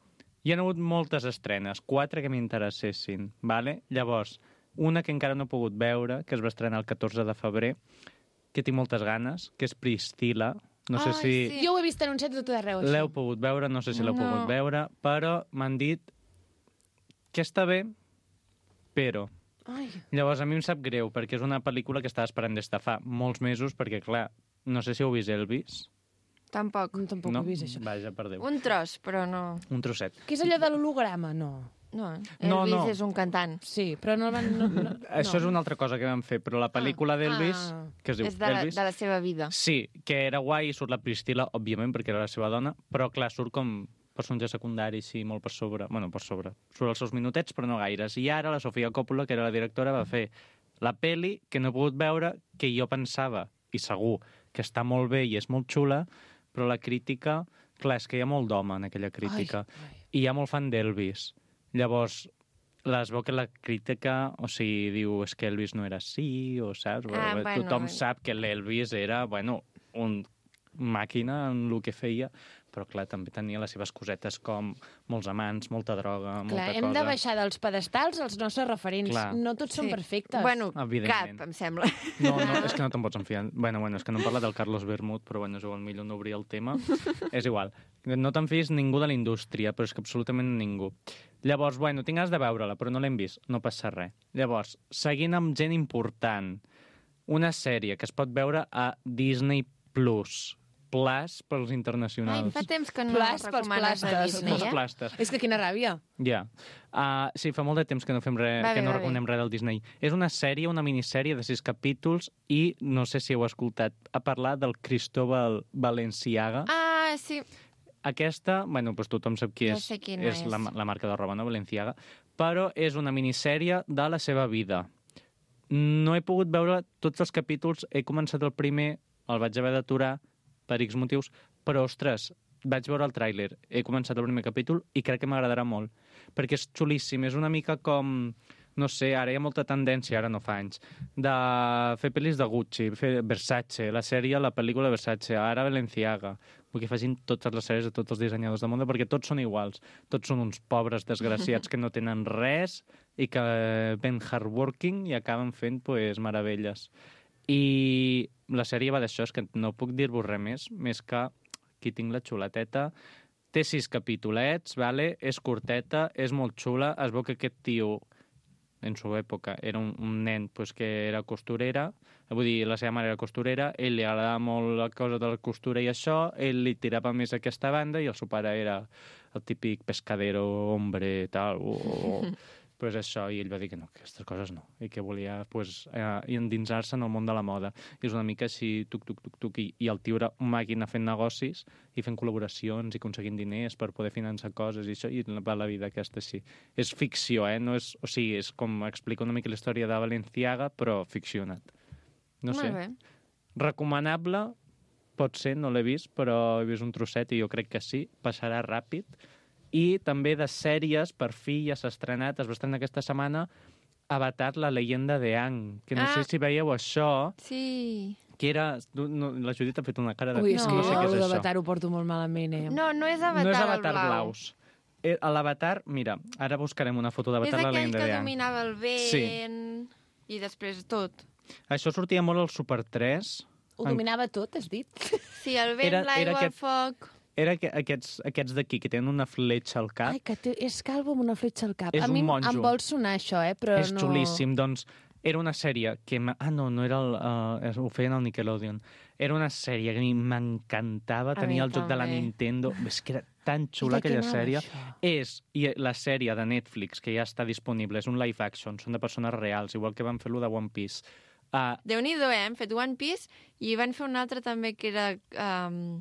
Hi ha hagut moltes estrenes, quatre que m'interessessin, vale? Llavors, una que encara no he pogut veure, que es va estrenar el catorze de febrer, que tinc moltes ganes, que és Priscilla. No sé Ai, si sí. Jo ho he vist anunciat a tot arreu, això. l'heu pogut veure, no sé si l'heu No. pogut veure, però m'han dit que està bé, però... Ai, Llavors, a mi em sap greu, perquè és una pel·lícula que estava esperant des de fa molts mesos, perquè, clar, no sé si heu vist Elvis. Tampoc. no, tampoc no? ho he vist, això. Vaja, per Déu. Un tros, però no. Un trosset. Què és allò de l'holograma? No. No, No, Elvis no. és un cantant. Sí, però no el van... No, no, Això és una altra cosa que vam fer, però la pel·lícula d'Elvis, Ah. que es diu És de la, Elvis... de la seva vida. Sí, que era guai, surt la Priscilla, òbviament, perquè era la seva dona, però, clar, surt com personatge secundari, sí, molt per sobre. Bueno, per sobre. Surt els seus minutets, però no gaires. I ara la Sofia Coppola, que era la directora, va fer la peli que no he pogut veure, que jo pensava, i segur, que està molt bé i és molt xula, però la crítica... Clar, és que hi ha molt d'home en aquella crítica. Ai, ai. I hi ha molt fan d'Elvis. Llavors, les veu que la crítica, o sigui, diu, és que Elvis no era així, o saps? Ah, bueno. Tothom sap que l'Elvis era, bueno, un màquina en el que feia, però, clar, també tenia les seves cosetes com molts amants, molta droga, Clar, molta hem cosa. de baixar dels pedestals els nostres referents. Clar. No tots són perfectes. Bueno, Evidentment. cap, em sembla. No, no, és que no te'n pots enfiar. Bueno, bueno, és que no hem parlat del Carlos Bermud, però bueno, és igual, millor no obrir el tema. És igual. No te'n fies ningú de la indústria, però és que absolutament ningú. Llavors, bueno, tinc ganes de veure-la, però no l'hem vist, no passa res. Llavors, seguint amb gent important, una sèrie que es pot veure a Disney Plus, Plus pels Ai, internacionals. fa temps que no Plas pels recomanes a plastes. Disney, Els eh? plastes. És que quina ràbia. Ja. Uh, sí, fa molt de temps que no fem res, Va bé, que no va bé. recomanem res del Disney. És una sèrie, una minissèrie de sis capítols i no sé si heu escoltat a parlar del Cristóbal Balenciaga. Ah, sí. Aquesta, bueno, doncs tothom sap qui Ja és, sé quina és és. la, la marca de roba, no? Balenciaga, però és una minissèrie de la seva vida. No he pogut veure tots els capítols, he començat el primer, el vaig haver d'aturar per X motius, però, ostres, vaig veure el tràiler, he començat el primer capítol i crec que m'agradarà molt, perquè és xulíssim, és una mica com... No sé, ara hi ha molta tendència, ara no fa anys, de fer pel·lis de Gucci, fer Versace, la sèrie, la pel·lícula de Versace, ara Balenciaga. Vull que facin totes les sèries de tots els dissenyadors del món, perquè tots són iguals. Tots són uns pobres desgraciats que no tenen res i que ven hardworking i acaben fent, pues, meravelles. I la sèrie va d'això, és que no puc dir-vos res més, més que aquí tinc la xuleteta. Té sis capítolets, vale? És curteta, és molt xula, es veu que aquest tio en su època era un, un nen pues, que era costurera, vull dir, la seva mare era costurera, ell li agradava molt la cosa de la costura i això, ell li tirava més a aquesta banda i el seu pare era el típic pescadero, hombre, tal, o, o, pues això, i ell va dir que no, que aquestes coses no, i que volia pues, eh, endinsar-se en el món de la moda. I és una mica així, tuc, tuc, tuc, tuc, i, i el tio era una màquina fent negocis i fent col·laboracions i aconseguint diners per poder finançar coses i això, i va la vida aquesta sí. És ficció, eh? No és, o sigui, és com explica una mica la història de Balenciaga, però ficcionat. No sé. Molt bé. Recomanable, pot ser, no l'he vist, però he vist un trosset i jo crec que sí, passarà ràpid. I també de sèries, per fi ja s'ha estrenat, es va estrenar aquesta setmana, Avatar, la leyenda de Aang, que no Ah. sé si veieu això, Sí. que era... No, la Judit ha fet una cara de... Ui, és No. que no sé què jo és això. d'Avatar ho porto molt malament, eh? No, no és Avatar, no és el Avatar blau. blaus. Eh, a l'Avatar, mira, ara buscarem una foto És d'Avatar, la aquell leyenda que de Aang. dominava el vent Sí. i després tot. Això sortia molt al Super tres. Ho dominava tot, has dit? Sí, el vent, Era- era l'aigua, el aquest- foc... Era que, aquests, aquests d'aquí, que tenen una fletxa al cap. Ai, que té, és calvo amb una fletxa al cap. És a mi un monjo. em vol sonar això, eh? Però És no... xulíssim, doncs era una sèrie que... m- Ah, no, no era el... Uh, ho feien al Nickelodeon. Era una sèrie que a mi m'encantava, A tenia mi el joc de la també. Nintendo. És que era tan xula I de què aquella anava, sèrie. això? És i la sèrie de Netflix, que ja està disponible, és un live action, són de persones reals, igual que van fer-lo de One Piece. Uh, Déu-n'hi-do, eh? Hem fet One Piece i van fer un altre també que era um,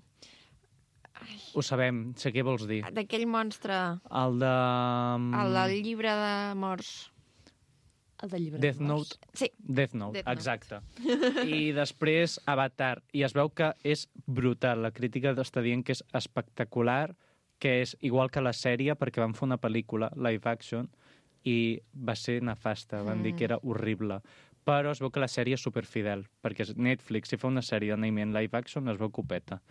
ho sabem, sé què vols dir. d'aquell monstre, El de... el del llibre de morts. El del llibre Death de morts. Note. Sí. Death Note, Death Note. exacte. I després Avatar. I es veu que és brutal. La crítica està dient que és espectacular, que és igual que la sèrie, perquè van fer una pel·lícula live action i va ser nefasta. Van Mm. dir que era horrible. Però es veu que la sèrie és superfidel, perquè Netflix, si fa una sèrie d'anime en live action, es veu copeta.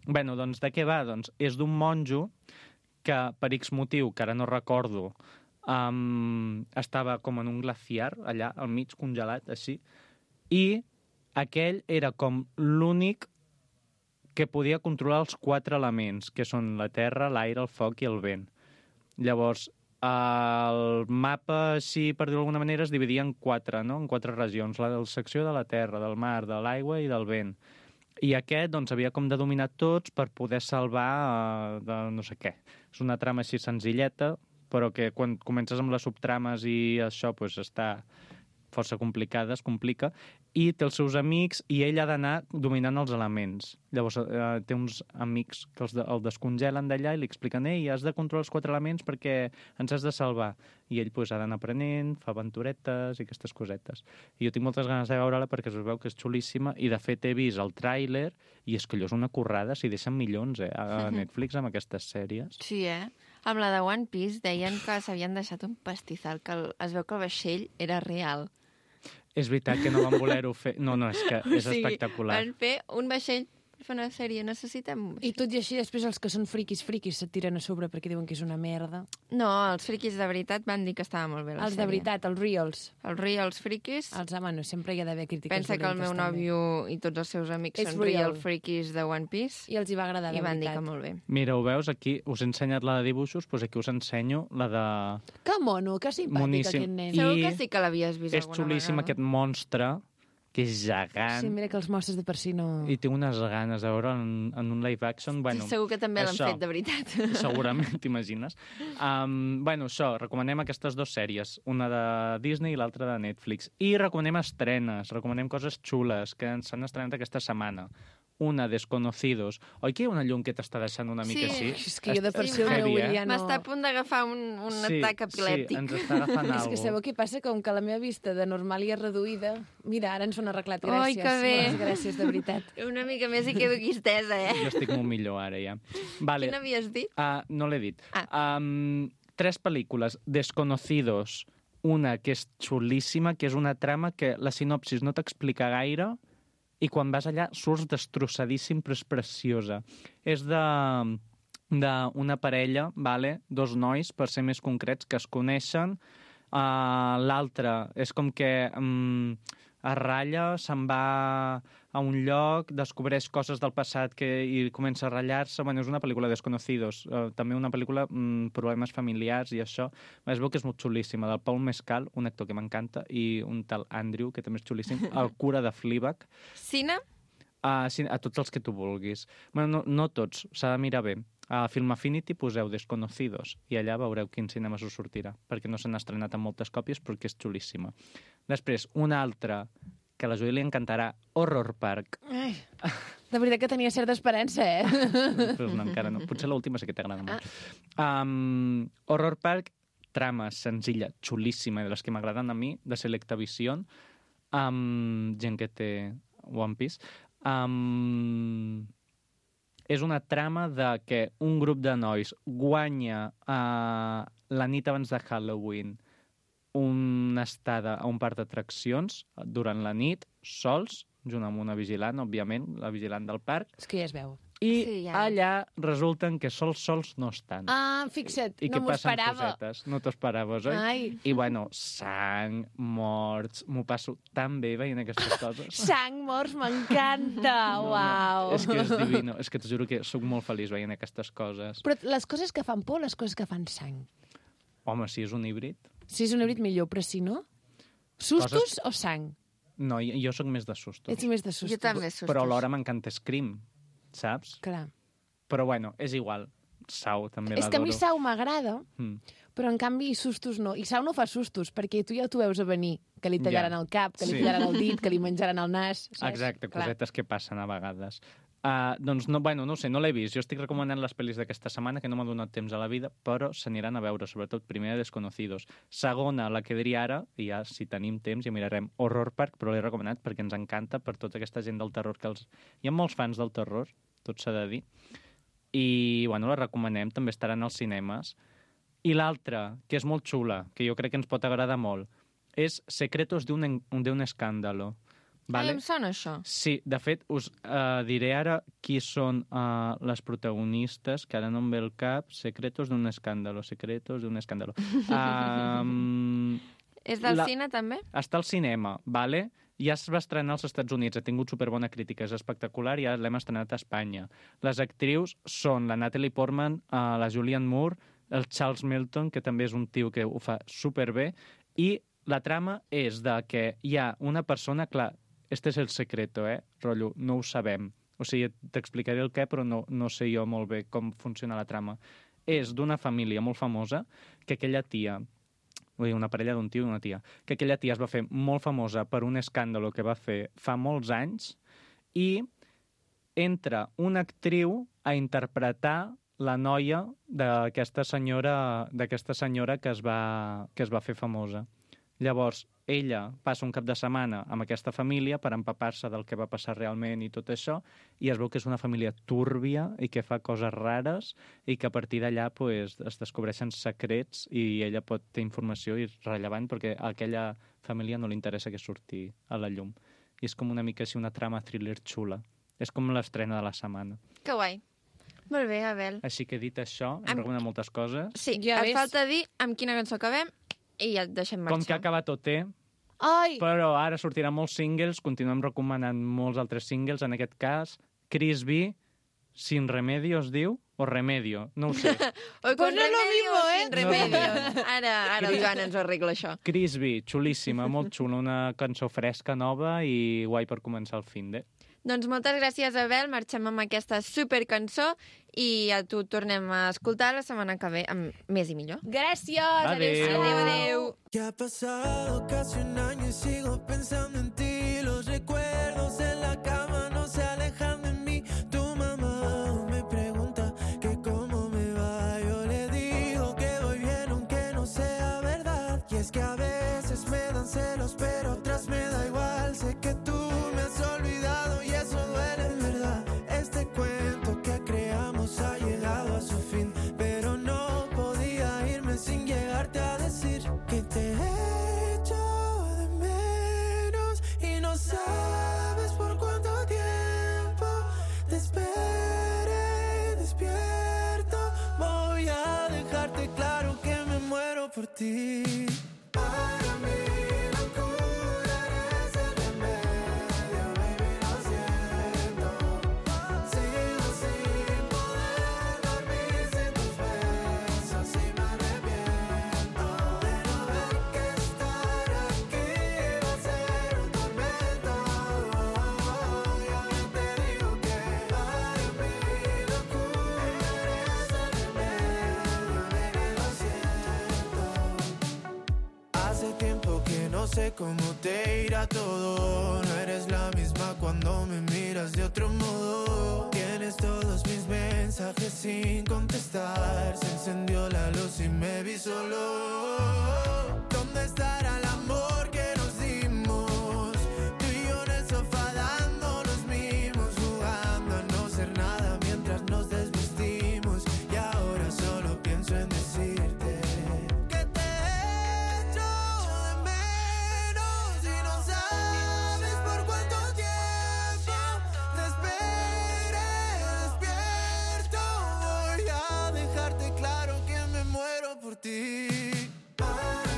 Bueno, doncs de què va? Doncs és d'un monjo que, per X motiu, que ara no recordo, um, estava com en un glaciar, allà, al mig, congelat, així, i aquell era com l'únic que podia controlar els quatre elements, que són la terra, l'aire, el foc i el vent. Llavors, el mapa, així, per dir-ho d'alguna manera, es dividia en quatre, no? En quatre regions, la secció de la terra, del mar, de l'aigua i del vent. I aquest, doncs, havia com de dominar tots per poder salvar uh, de no sé què. És una trama així senzilleta, però que quan comences amb les subtrames i això, doncs, està força complicada, es complica, i té els seus amics i ell ha d'anar dominant els elements. Llavors eh, té uns amics que els de, el descongelen d'allà i li expliquen ei, has de controlar els quatre elements perquè ens has de salvar. I ell pues, ha d'anar aprenent, fa aventuretes i aquestes cosetes. I jo tinc moltes ganes de veure-la perquè es veu que és xulíssima i de fet he vist el tràiler i és que allò és una currada, s'hi deixen milions eh, a Netflix amb aquestes sèries. Sí, eh? Amb la de One Piece deien que s'havien deixat un pastizal, que el, es veu que el vaixell era real. És veritat que no van voler-ho fer... No, no, és que és O sigui, espectacular. van fer un vaixell per fer una sèrie, necessitem un I vaixell. tot i així, després els que són friquis, friquis, se't tiren a sobre perquè diuen que és una merda. No, els friquis de veritat van dir que estava molt bé la Els sèrie. de veritat, els reals. Els reals friquis. Els, ah, bueno, sempre hi ha d'haver crítiques Pensa que el meu dolentes, també. nòvio i tots els seus amics És són real. real friquis de One Piece I els hi va agradar, de i van dir veritat. que molt bé. Mira, ho veus? Aquí us he ensenyat la de dibuixos, doncs aquí us ensenyo la de... Que mono, que simpàtic Moníssim. aquest nen. I Segur que sí que l'havies vist És alguna xulíssim vegada. aquest monstre, que és gegant, Sí, mira que els mostres de per si no... i té unes ganes de veure en, en un live action. Bueno, Segur que també l'han això. fet, de veritat. Segurament, t'imagines. Um, bueno, això, recomanem aquestes dues sèries, una de Disney i l'altra de Netflix. I recomanem estrenes, recomanem coses xules que ens s'han estrenat aquesta setmana. Una, Desconocidos. Oi que hi ha una llum que t'està deixant una mica Sí. així? És que jo de per si el Heavy, meu ull eh? ja no... M'està a punt d'agafar un, un Sí, atac epilèptic. Sí, ens està agafant És alguna que sabeu què passa? Com que la meva vista de normal i és reduïda... Mira, ara ens ho han arreglat, gràcies. Ai, que bé. Moltes gràcies, de veritat. Una mica més i quedo aquí estesa, eh? Jo estic molt millor ara, ja. Vale. Quina havies dit? Uh, no l'he dit. Ah. Um, tres pel·lícules. Desconocidos. Una que és xulíssima, que és una trama que la sinopsis no t'explica gaire i quan vas allà surts destrossadíssim, però és preciosa. És de d'una parella, vale? Dos nois, per ser més concrets, que es coneixen. Uh, L'altre és com que um, es ratlla, se'n va a un lloc, descobreix coses del passat que, i comença a ratllar-se. Bueno, és una pel·lícula Desconocidos, uh, també una pel·lícula um, problemes familiars i això. Es veu que és molt xulíssima, del Paul Mescal, un actor que m'encanta, i un tal Andrew, que també és xulíssim, el cura de Fleabag. Cine? Uh, sí, a tots els que tu vulguis. Bueno, no, no tots, s'ha de mirar bé. A Film Affinity poseu Desconocidos i allà veureu quin cinema us sortirà, perquè no s'han estrenat en moltes còpies, però que és xulíssima. Després, una altra que a la Júlia li encantarà, Horror Park. Ai, de veritat que tenia certa esperança, eh? Però no, encara no. Potser l'última sí que t'agrada molt. Um, Horror Park, trama senzilla, xulíssima, de les que m'agraden a mi, de Selecta Vision, um, gent que té One Piece. Um, és una trama de que un grup de nois guanya uh, la nit abans de Halloween una estada a un parc d'atraccions durant la nit, sols, junt amb una vigilant, òbviament, la vigilant del parc, És que ja es veu. i Sí, ja. allà resulten que sols sols no estan. Ah, fixa't, I no que m'ho passen esperava. cosetes. No t'ho esperaves, oi? Ai. I bueno, sang, morts, m'ho passo tan bé veient aquestes coses. Sang, morts, m'encanta, uau. És que és divino, és que t'ho juro que sóc molt feliç veient aquestes coses. Però les coses que fan por, les coses que fan sang. Home, si és un híbrid... Si és un híbrid millor, però si no... Sustos Coses- o sang? No, jo, jo sóc més de sustos. Ets més de sustos. Jo també, sustos. Però alhora m'encanta Scream, saps? Clar. Però bueno, és igual. Sau també És que a mi l'adoro. Sau m'agrada, Mm. però en canvi sustos no. I Sau no fa sustos, perquè tu ja t'ho veus a venir, que li tallaran Ja. el cap, que li Sí. tallaran el dit, que li menjaran el nas, saps? Exacte, Clar. cosetes que passen a vegades. Uh, doncs, no, bueno, no ho sé, no l'he vist. Jo estic recomanant les pel·lis d'aquesta setmana, que no m'ha donat temps a la vida, però s'aniran a veure, sobretot primera Desconocidos. Segona, la que diria ara, i ja si tenim temps ja mirarem Horror Park, però l'he recomanat perquè ens encanta per tota aquesta gent del terror que els... Hi ha molts fans del terror, tot s'ha de dir, i bueno, la recomanem, també estaran als cinemes. I l'altra, que és molt xula, que jo crec que ens pot agradar molt, és Secretos de un, en- de un escándalo. Vale. Ai, em sona això. Sí, de fet, us uh, diré ara qui són uh, les protagonistes, que ara no em ve el cap. Secretos d'un escàndalo, secretos d'un escàndalo. Um, És del La- cine, també? està al cinema, vale? Ja es va estrenar als Estats Units, ha tingut superbona crítica, és espectacular, i ja l'hem estrenat a Espanya. Les actrius són la Natalie Portman, uh, la Julianne Moore, el Charles Melton, que també és un tio que ho fa superbé, i la trama és de que hi ha una persona, clar, este és el secreto, eh, rotllo, no ho sabem. O sigui, t'explicaré el què, però no, no sé jo molt bé com funciona la trama. És d'una família molt famosa que aquella tia, vull dir, una parella d'un tio i una tia, que aquella tia es va fer molt famosa per un escàndalo que va fer fa molts anys, i entra una actriu a interpretar la noia d'aquesta senyora, d'aquesta senyora que es va, que es va fer famosa. Llavors, ella passa un cap de setmana amb aquesta família per empapar-se del que va passar realment i tot això, i es veu que és una família túrbia i que fa coses rares, i que a partir d'allà pues, es descobreixen secrets i ella pot ter informació irrellevant perquè a aquella família no li interessa que surti a la llum. I és com una mica així una trama thriller xula. És com l'estrena de la setmana. Que guai. Molt bé, Abel. Així que dit això, hem Amb- recomanat moltes coses. Sí, Ja et ves. falta dir amb quina cançó acabem i ja et deixem marxar. Com que ha acabat O T, Ai! però ara sortiran molts singles, continuem recomanant molts altres singles, en aquest cas, Chris B, Sin Remedio es diu, o Remedio, no ho sé. Oi, Pues con no es lo remedio mismo, o eh? sin remedio. Ara, ara el Joan ens ho arregla, això. Chris B, xulíssima, molt xula, una cançó fresca, nova i guai per començar el fin de. Doncs moltes gràcies, Abel. Marxem amb aquesta supercançó i a tu tornem a escoltar la setmana que ve amb més i millor. Gràcies! Adéu. Adéu, adéu. Ya ha pasado casi un año y sigo pensando en ti. Los recuerdos en la cama no se alejan de mí. Tu mamá me pregunta que cómo me va. Yo le digo que voy bien aunque no sea verdad. Y es que a veces me dan celos pero otras me da igual. Sé que tú me has olvidado y eso duele en verdad. Este cuento que creamos ha llegado a su fin, pero no podía irme sin llegarte a decir que te echo de menos y no sabes por cuánto tiempo te esperé despierto. Voy a dejarte claro que me muero por ti. Para mí locura eres el remedio, baby, lo siento. Sigo sin poder dormir sin tus besos y me arrepiento de no ver que estar aquí va a ser un tormento. Y ahora te digo que para mí locura eres el remedio, baby, lo siento. Hace tiempo que no sé cómo te irá todo. No eres la misma cuando me miras de otro modo. Tienes todos mis mensajes sin contestar. Se encendió la luz y me vi solo. ¿Dónde estará el amor que nos dimos? Tú y yo en el sofá dando los mimos, jugando a no ser nada mientras nos desvestimos. Y ahora solo pienso en decirte que te echo de menos y no sabes por cuánto tiempo te esperé despierto. Voy a dejarte claro que me muero por ti. Para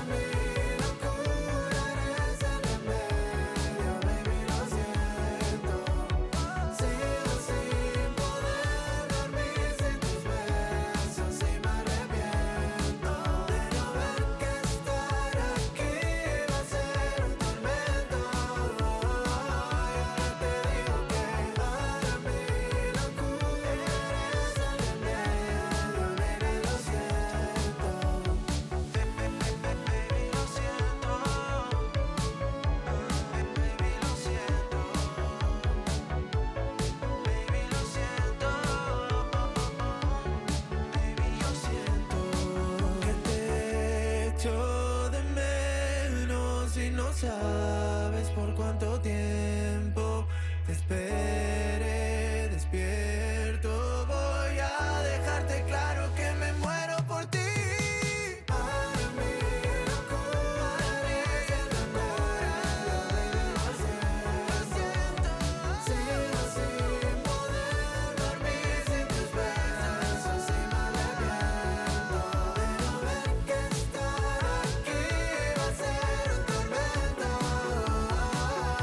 sabes por cuánto tiempo te esperé despierto. Voy a dejarte claro que me muero por ti. Para mí locura es locura. Lo siento, sigo sin poder dormir sin tus besos y me arrepiento de no ver que estar aquí va a ser un tormento.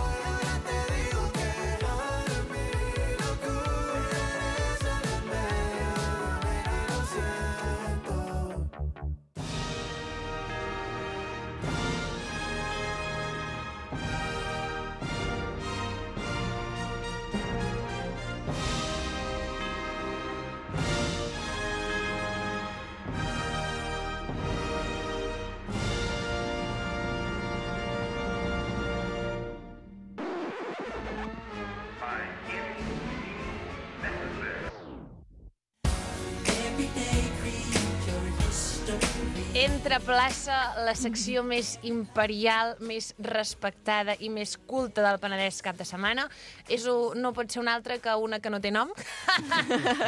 Y ahora te digo que para mí locura eres un enveneno, nena, lo siento. Entra a plaça la secció més imperial, més respectada i més culta del Penedès cap de setmana. És un, no pot ser una altra que una que no té nom.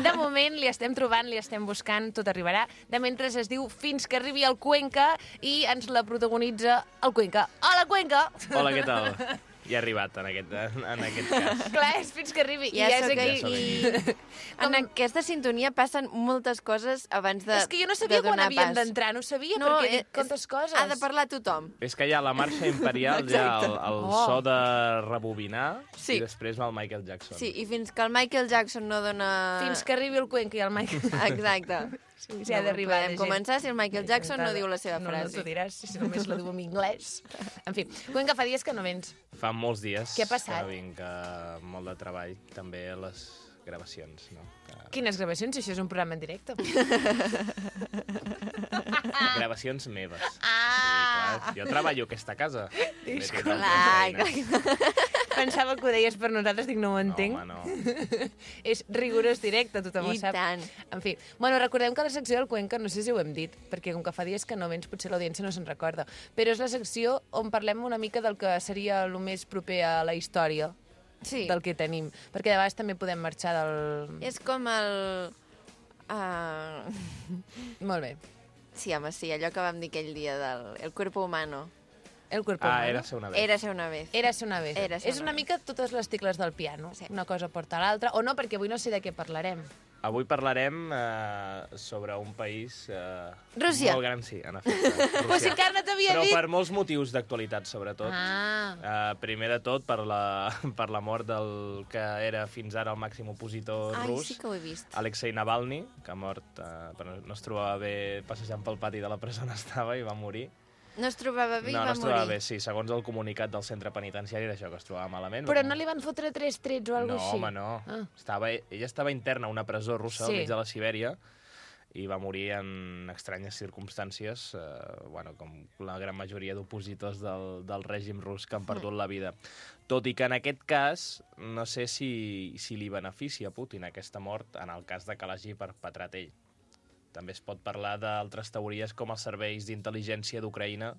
De moment li estem trobant, li estem buscant, tot arribarà. De mentre es diu Fins que arribi el Cuenca i ens la protagonitza el Cuenca. Hola, Cuenca! Hola, què tal? Ja he arribat en aquest, en aquest cas. Clar, és fins que arribi. Ja, I és és aquí. aquí. I en aquesta sintonia passen moltes coses abans de És que jo no sabia de quan donar havien pas. d'entrar, no sabia, No, perquè és- dic quantes coses. Ha de parlar tothom. És que hi ha la marxa imperial, hi ha el, el Oh. so de rebobinar Sí. i després va el Michael Jackson. Sí, i fins que el Michael Jackson no dona... Fins que arribi el Cuenca i el Mike. Exacte. Sí, sí, ha d'arribar Podem la gent. començar si el Michael Jackson no diu la seva no, No, frase. t'ho diràs, si només la diu en anglès. En fi, Cuenca, fa dies que no vens. Fa molts dies Què ha passat? que no vinc, eh, molt de treball, també a les gravacions. No? Que... Quines gravacions? Si això és un programa en directe. Gravacions meves. Ah! Sí, clar, jo treballo a aquesta casa. També tinc Clar, altres feines. clar. Pensava que ho deies per nosaltres, dic, no ho entenc. No, home, no. És rigorós directe, tothom ho I sap. tant. En fi, bueno, recordem que la secció del Cuenca, no sé si ho hem dit, perquè com que fa dies que no vens, potser l'audiència no se'n recorda, però és la secció on parlem una mica del que seria el més proper a la història Sí. del que tenim, perquè de vegades també podem marxar del... És com el... Uh... Molt bé. Sí, home, sí, allò que vam dir aquell dia del el cuerpo humano. El cuerpo Ah, humano. era ser una vez. Érase una vez. Érase una vez. Érase És una una vez. mica totes les tecles del piano. Sí. Una cosa porta a l'altra. O no, perquè avui no sé de què parlarem. Avui parlarem eh, sobre un país... Eh, Rússia. Molt gran, sí, en efecte. Però si Rússia. encara no t'havia Però dit... per molts motius d'actualitat, sobretot. Ah, Uh, primer de tot, per la, per la mort del que era fins ara el màxim opositor Ai, rus, sí que ho he vist. Alexei Navalny, que ha mort, uh, però no es trobava bé passejant pel pati de la presó on estava i va morir. No es trobava bé no, i no va es trobava morir. bé, sí. Segons el comunicat del centre penitenciari era això, que es trobava malament. però no li van fotre tres trets o alguna No, cosa així? home, no. Ah. Estava, ella estava interna a una presó russa Sí. al mig de la Sibèria i va morir en estranyes circumstàncies, eh, bueno, com la gran majoria d'opositors del, del règim rus que han perdut la vida. Tot i que en aquest cas, no sé si, si li beneficia a Putin aquesta mort en el cas de que l'hagi perpetrat ell. També es pot parlar d'altres teories com els serveis d'intel·ligència d'Ucraïna,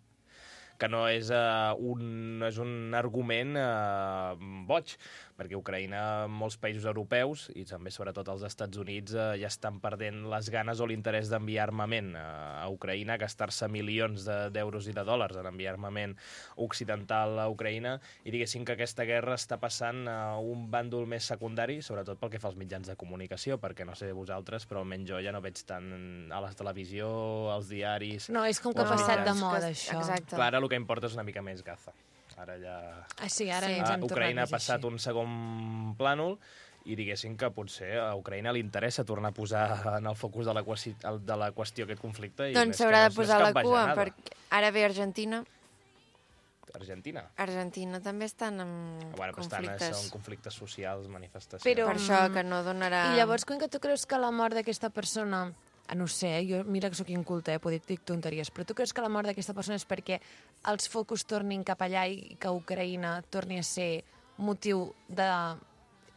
que no és, uh, un, no és un argument uh, boig, perquè Ucraïna, molts països europeus, i també sobretot els Estats Units, uh, ja estan perdent les ganes o l'interès d'enviar armament uh, a Ucraïna, gastar-se milions de- d'euros i de dòlars en enviar armament occidental a Ucraïna, i diguéssim que aquesta guerra està passant a un bàndol més secundari, sobretot pel que fa als mitjans de comunicació, perquè no sé vosaltres, però almenys jo ja no veig tant a la televisió, als diaris... No, és com que ha Els passat de mitjans. moda, Que- això. Exacte. Clar, ara el que importa és una mica més Gaza. Ara ja... Ah, sí, ara Sí. ens Ah, hem tornat Ucraïna ha més passat així. un segon plànol i diguéssim que potser a Ucraïna li interessa tornar a posar en el focus de la, qüesti de la qüestió aquest conflicte. I Doncs més que s'haurà no de és- no és posar la cap cua, bajanada. perquè ara ve Argentina. Argentina. Argentina també estan en Bueno, però estan, conflictes. són conflictes socials, manifestacions. Però- Per això que no donarà... I llavors, quan que tu creus que la mort d'aquesta persona... Ah, no ho sé, eh? Jo, mira que sóc inculta, eh? Poder dir tonteries, però tu creus que la mort d'aquesta persona és perquè els focus tornin cap allà i que Ucraïna torni a ser motiu de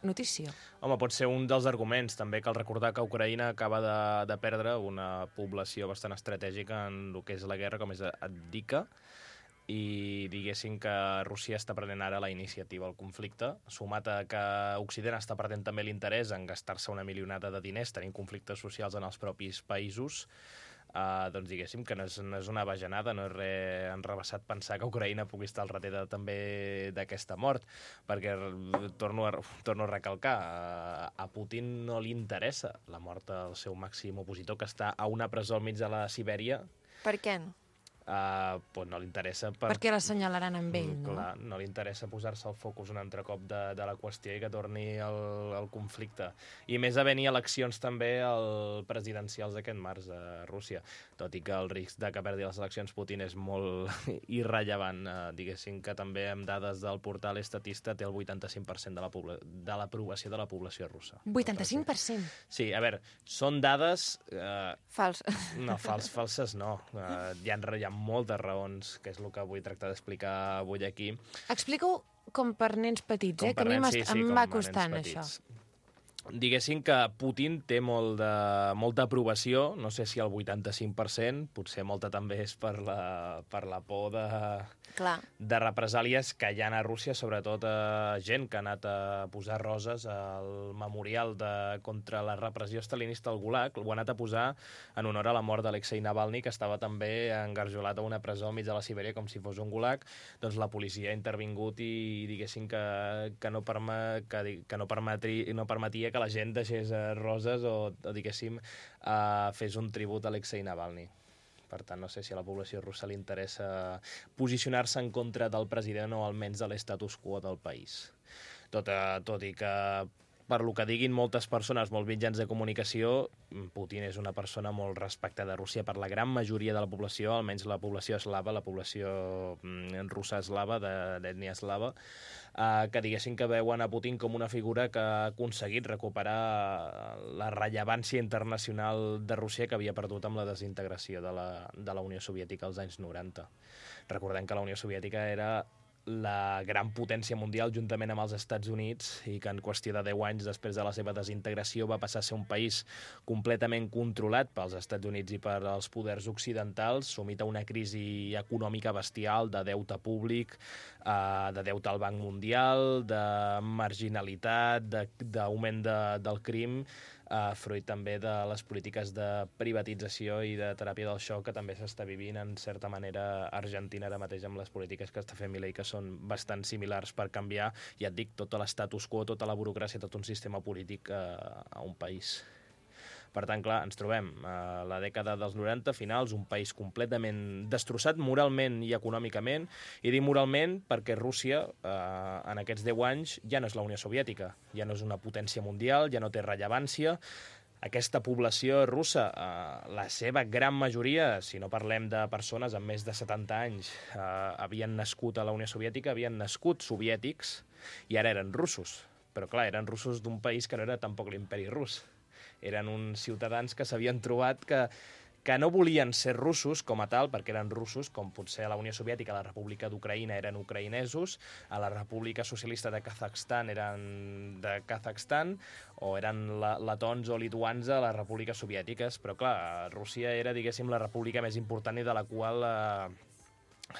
notícia? Home, pot ser un dels arguments. També cal recordar que Ucraïna acaba de, de perdre una població bastant estratègica en el que és la guerra, com és Adika, i diguéssim que Rússia està prenent ara la iniciativa al conflicte, sumat a que Occident està perdent també l'interès en gastar-se una milionada de diners tenint conflictes socials en els propis països, uh, doncs diguéssim que no és, no és una bajanada, no és res enrevessat pensar que Ucraïna pugui estar al darrere també d'aquesta mort, perquè torno a, torno a recalcar, a, a Putin no li interessa la mort del seu màxim opositor, que està a una presó al mig de la Sibèria. Per què no? Uh, pues no li interessa... Per... Perquè l'assenyalaran amb ell, no? Clar, no li interessa posar-se el focus un altre cop de, de la qüestió i que torni el, el conflicte. I més a venir eleccions també el presidencials d'aquest març a Rússia, tot i que el risc de que perdi les eleccions Putin és molt irrellevant. Uh, diguéssim que també amb dades del portal Estatista té el vuitanta-cinc per cent de la pobla... de l'aprovació de la població russa. vuitanta-cinc per cent? Sí, a veure, són dades... Uh... Falses. No, fals, falses no. Uh, hi ha, hi ha moltes raons, que és el que vull tractar d'explicar avui aquí. Explica-ho com per nens petits, com eh? Que a mi nens, sí, sí, em com va a costant, nens això. Diguéssim que Putin té molt de, molta aprovació, no sé si el vuitanta-cinc per cent, potser molta també és per la, per la por de, Clar. de represàlies que hi ha a Rússia, sobretot a gent que ha anat a posar roses al memorial de, contra la repressió stalinista al Gulag, ho ha anat a posar en honor a la mort d'Alexei Navalny, que estava també engarjolat a una presó al mig de la Sibèria com si fos un Gulag. Doncs la policia ha intervingut i diguéssim que, que, no, perma, que, que no, permetri, no permetia que que la gent deixés uh, roses o, o diguéssim, uh, fes un tribut a Alexei Navalny. Per tant, no sé si a la població russa li interessa posicionar-se en contra del president o almenys de l'estatus quo del país. Tot, uh, tot i que, per lo que diguin moltes persones, molts mitjans de comunicació, Putin és una persona molt respectada a Rússia per la gran majoria de la població, almenys la població eslava, la població mm, russa eslava, d'ètnia eslava, Uh, que diguessin que veuen a Putin com una figura que ha aconseguit recuperar la rellevància internacional de Rússia que havia perdut amb la desintegració de la, de la Unió Soviètica als anys noranta. Recordem que la Unió Soviètica era la gran potència mundial juntament amb els Estats Units i que en qüestió de deu anys després de la seva desintegració va passar a ser un país completament controlat pels Estats Units i per als poders occidentals, sumit a una crisi econòmica bestial de deute públic, eh, de deute al Banc Mundial, de marginalitat, d'augment de, de, del crim, Uh, fruit també de les polítiques de privatització i de teràpia del xoc que també s'està vivint en certa manera a Argentina ara mateix amb les polítiques que està fent Milei, que són bastant similars per canviar, ja et dic, tot l'estatus quo, tota la burocràcia, tot un sistema polític uh, a un país. Per tant, clar, ens trobem a la dècada dels noranta, finals, un país completament destrossat moralment i econòmicament, i dic moralment perquè Rússia, eh, en aquests deu anys, ja no és la Unió Soviètica, ja no és una potència mundial, ja no té rellevància. Aquesta població russa, eh, la seva gran majoria, si no parlem de persones amb més de setanta anys, eh, havien nascut a la Unió Soviètica, havien nascut soviètics, i ara eren russos. Però, clar, eren russos d'un país que no era tampoc l'imperi rus. Eren uns ciutadans que s'havien trobat que, que no volien ser russos com a tal, perquè eren russos, com potser a la Unió Soviètica, a la República d'Ucraïna eren ucraïnesos, a la República Socialista de Kazakhstan eren de Kazakhstan, o eren la, letons o lituans a les repúbliques soviètiques. Però, clar, Rússia era, diguéssim, la república més important i de la qual eh,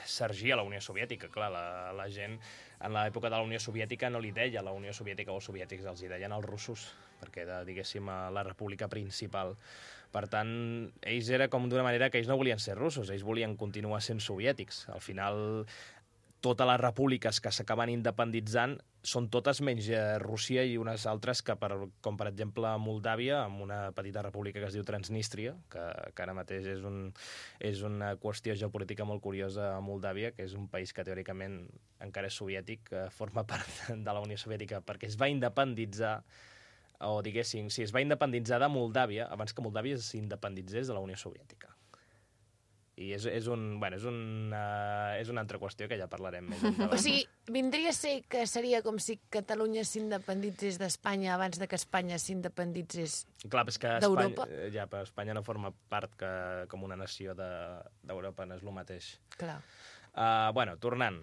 s'ergia la Unió Soviètica. Clar, la, la gent en l'època de la Unió Soviètica no li deia la Unió Soviètica o soviètics, els hi deien els russos, perquè era, diguéssim, la república principal. Per tant, ells era com d'una manera que ells no volien ser russos, ells volien continuar sent soviètics. Al final, totes les repúbliques que s'acaben independitzant són totes menys Rússia i unes altres que, per, com per exemple Moldàvia, amb una petita república que es diu Transnistria, que, que ara mateix és, un, és una qüestió geopolítica molt curiosa a Moldàvia, que és un país que teòricament encara és soviètic, que forma part de la Unió Soviètica, perquè es va independitzar, o diguéssim, si es va independitzar de Moldàvia abans que Moldàvia s'independitzés de la Unió Soviètica. I és, és, un, bueno, és, un, uh, és una altra qüestió que ja parlarem més endavant. O sigui, vindria a ser que seria com si Catalunya s'independitzés d'Espanya abans de que Espanya s'independitzés Clar, és que d'Europa? Espanya, ja, però Espanya no forma part que, com una nació d'Europa, de, no és el mateix. Clar. Uh, bueno, tornant.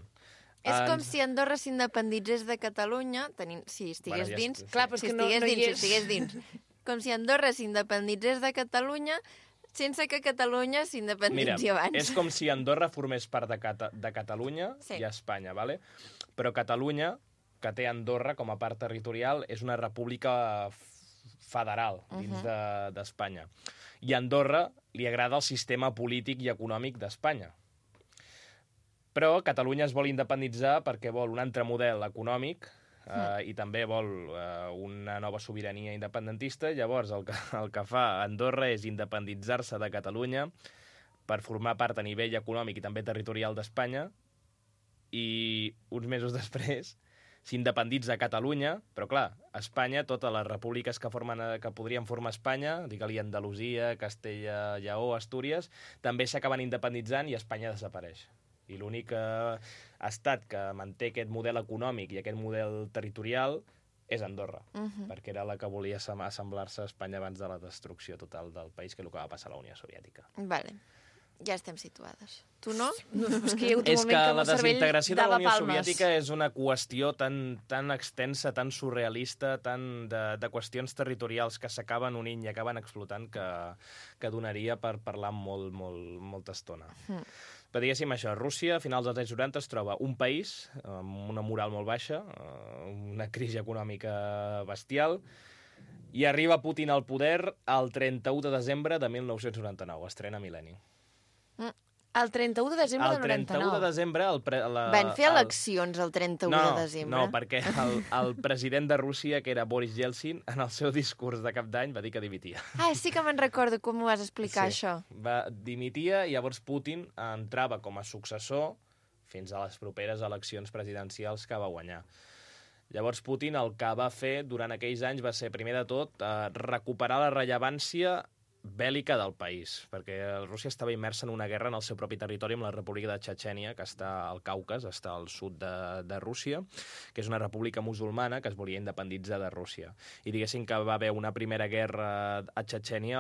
És Uh, com si Andorra s'independitzés de Catalunya, tenint, si estigués Bueno, ja dins, és- Clar, però és si que no, estigués no hi dins, és. si estigués dins. Com si Andorra s'independitzés de Catalunya, sense que Catalunya Mira, s'independitzi abans. és com si Andorra formés part de, Cata de Catalunya Sí. i Espanya, ¿vale? Però Catalunya, que té Andorra com a part territorial, és una república federal dins Mhm. de- d'Espanya. I a Andorra li agrada el sistema polític i econòmic d'Espanya. Però Catalunya es vol independitzar perquè vol un altre model econòmic eh, i també vol eh, una nova sobirania independentista. Llavors, el que, el que fa Andorra és independitzar-se de Catalunya per formar part a nivell econòmic i també territorial d'Espanya, i uns mesos després s'independitza Catalunya, però clar, Espanya, totes les repúbliques que, formen, que podrien formar Espanya, digue-li Andalusia, Castella, Lleó, Astúries, també s'acaben independitzant i Espanya desapareix. I l'únic eh, estat que manté aquest model econòmic i aquest model territorial és Andorra, Mhm. perquè era la que volia assem- assemblar-se a Espanya abans de la destrucció total del país, que és el que va passar a la Unió Soviètica. Vale. Ja estem situades. Tu no? No, és que hi ha hagut un És que moment que el la meu cervell desintegració de la dava Unió palmes. Soviètica és una qüestió tan, tan extensa, tan surrealista, tan de, de qüestions territorials que s'acaben unint i acaben explotant que, que donaria per parlar molt, molt, molta estona. Mm. Però diguéssim això, Rússia a finals dels anys noranta es troba un país amb una moral molt baixa, eh, una crisi econòmica bestial, i arriba Putin al poder el trenta-u de desembre de mil nou-cents noranta-nou, estrena Mil·lenni. El trenta-u de desembre El del trenta-u noranta-nou. de desembre... El pre, la, Van fer el- eleccions el trenta-u no, de desembre? No, perquè el, el president de Rússia, que era Boris Yeltsin, en el seu discurs de cap d'any va dir que dimitia. Ah, sí que me'n recordo com m'ho vas explicar, Sí. això. Va, dimitia i llavors Putin entrava com a successor fins a les properes eleccions presidencials que va guanyar. Llavors Putin el que va fer durant aquells anys va ser, primer de tot, eh, recuperar la rellevància bèl·lica del país, perquè Rússia estava immersa en una guerra en el seu propi territori amb la República de Txetxènia, que està al Caucas, està al sud de, de Rússia, que és una república musulmana que es volia independitzar de Rússia. I diguéssim que va haver una primera guerra a Txetxènia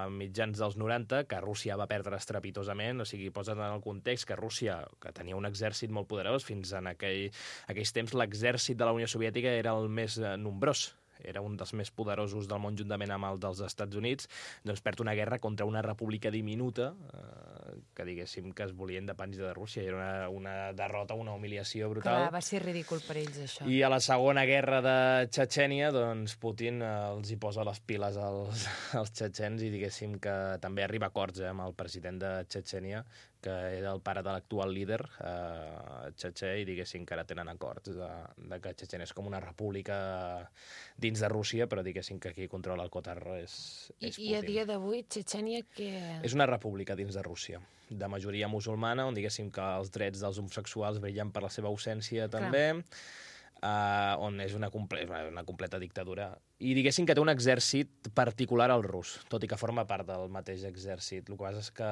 a mitjans dels noranta, que Rússia va perdre estrepitosament, o sigui, posa't en el context que Rússia, que tenia un exèrcit molt poderós, fins en aquell, aquells temps l'exèrcit de la Unió Soviètica era el més eh, nombrós, era un dels més poderosos del món juntament amb el dels Estats Units, doncs perd una guerra contra una república diminuta eh, que diguéssim que es volia independitzar de Rússia. Era una, una derrota, una humiliació brutal. Clar, va ser ridícul per ells, això. I a la segona guerra de Txetxènia, doncs Putin eh, els hi posa les piles als, als txetxens i diguéssim que també arriba a acords eh, amb el president de Txetxènia, que era el pare de l'actual líder eh, txetxè, i diguéssim que ara tenen acords de, de que Txetxènia és com una república dins de Rússia, però diguéssim que qui controla el cotarro és, I, és I a Putin. dia d'avui, Txetxènia, que... És una república dins de Rússia, de majoria musulmana, on diguéssim que els drets dels homosexuals brillen per la seva ausència també, uh, on és una, comple una completa dictadura. I diguéssim que té un exèrcit particular al rus, tot i que forma part del mateix exèrcit. El que passa és que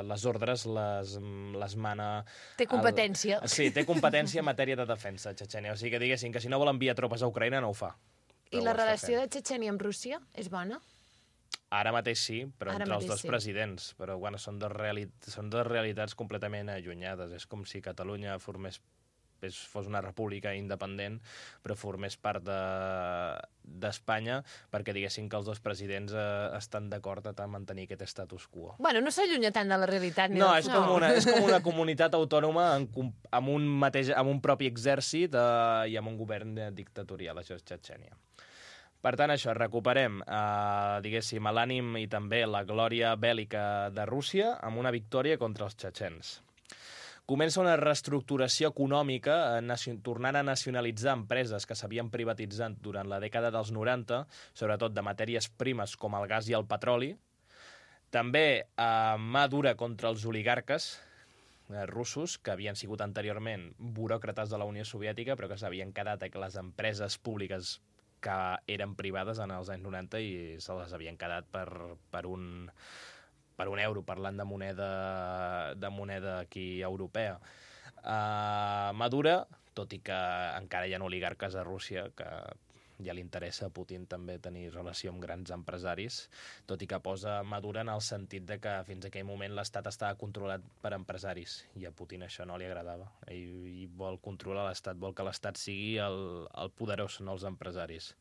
les ordres les, les mana... Té competència. El... Sí, té competència en matèria de defensa, Txetxènia. O sigui que diguéssim que si no vol enviar tropes a Ucraïna no ho fa. I la relació de Txetxènia amb Rússia és bona? Ara mateix sí, però Ara entre els mateix dos sí. presidents. Però bueno, són, dos reali són dos realitats completament allunyades. És com si Catalunya formés, és, fos una república independent, però formés part d'Espanya, de, perquè diguéssim que els dos presidents eh, estan d'acord a mantenir aquest status quo. Bueno, no s'allunya tant de la realitat. Ni No, del és futur. com, una, és com una comunitat autònoma en, com- amb, un mateix, amb un propi exèrcit eh, i amb un govern eh, dictatorial, això és Txetxènia. Per tant, això, recuperem, eh, diguéssim, l'ànim i també la glòria bèl·lica de Rússia amb una victòria contra els txetxens. Comença una reestructuració econòmica, eh, tornant a nacionalitzar empreses que s'havien privatitzat durant la dècada dels noranta, sobretot de matèries primes com el gas i el petroli. També eh, mà dura contra els oligarques eh, russos, que havien sigut anteriorment buròcrates de la Unió Soviètica, però que s'havien quedat a les empreses públiques que eren privades en els anys noranta i se les havien quedat per, per, un, per un euro, parlant de moneda, de moneda aquí europea. Uh, Madura, tot i que encara hi ha oligarques a Rússia, que ja li interessa a Putin també tenir relació amb grans empresaris, tot i que posa Madura en el sentit de que fins a aquell moment l'Estat estava controlat per empresaris, i a Putin això no li agradava. Ell, ell vol controlar l'Estat, vol que l'Estat sigui el, el poderós, no els empresaris.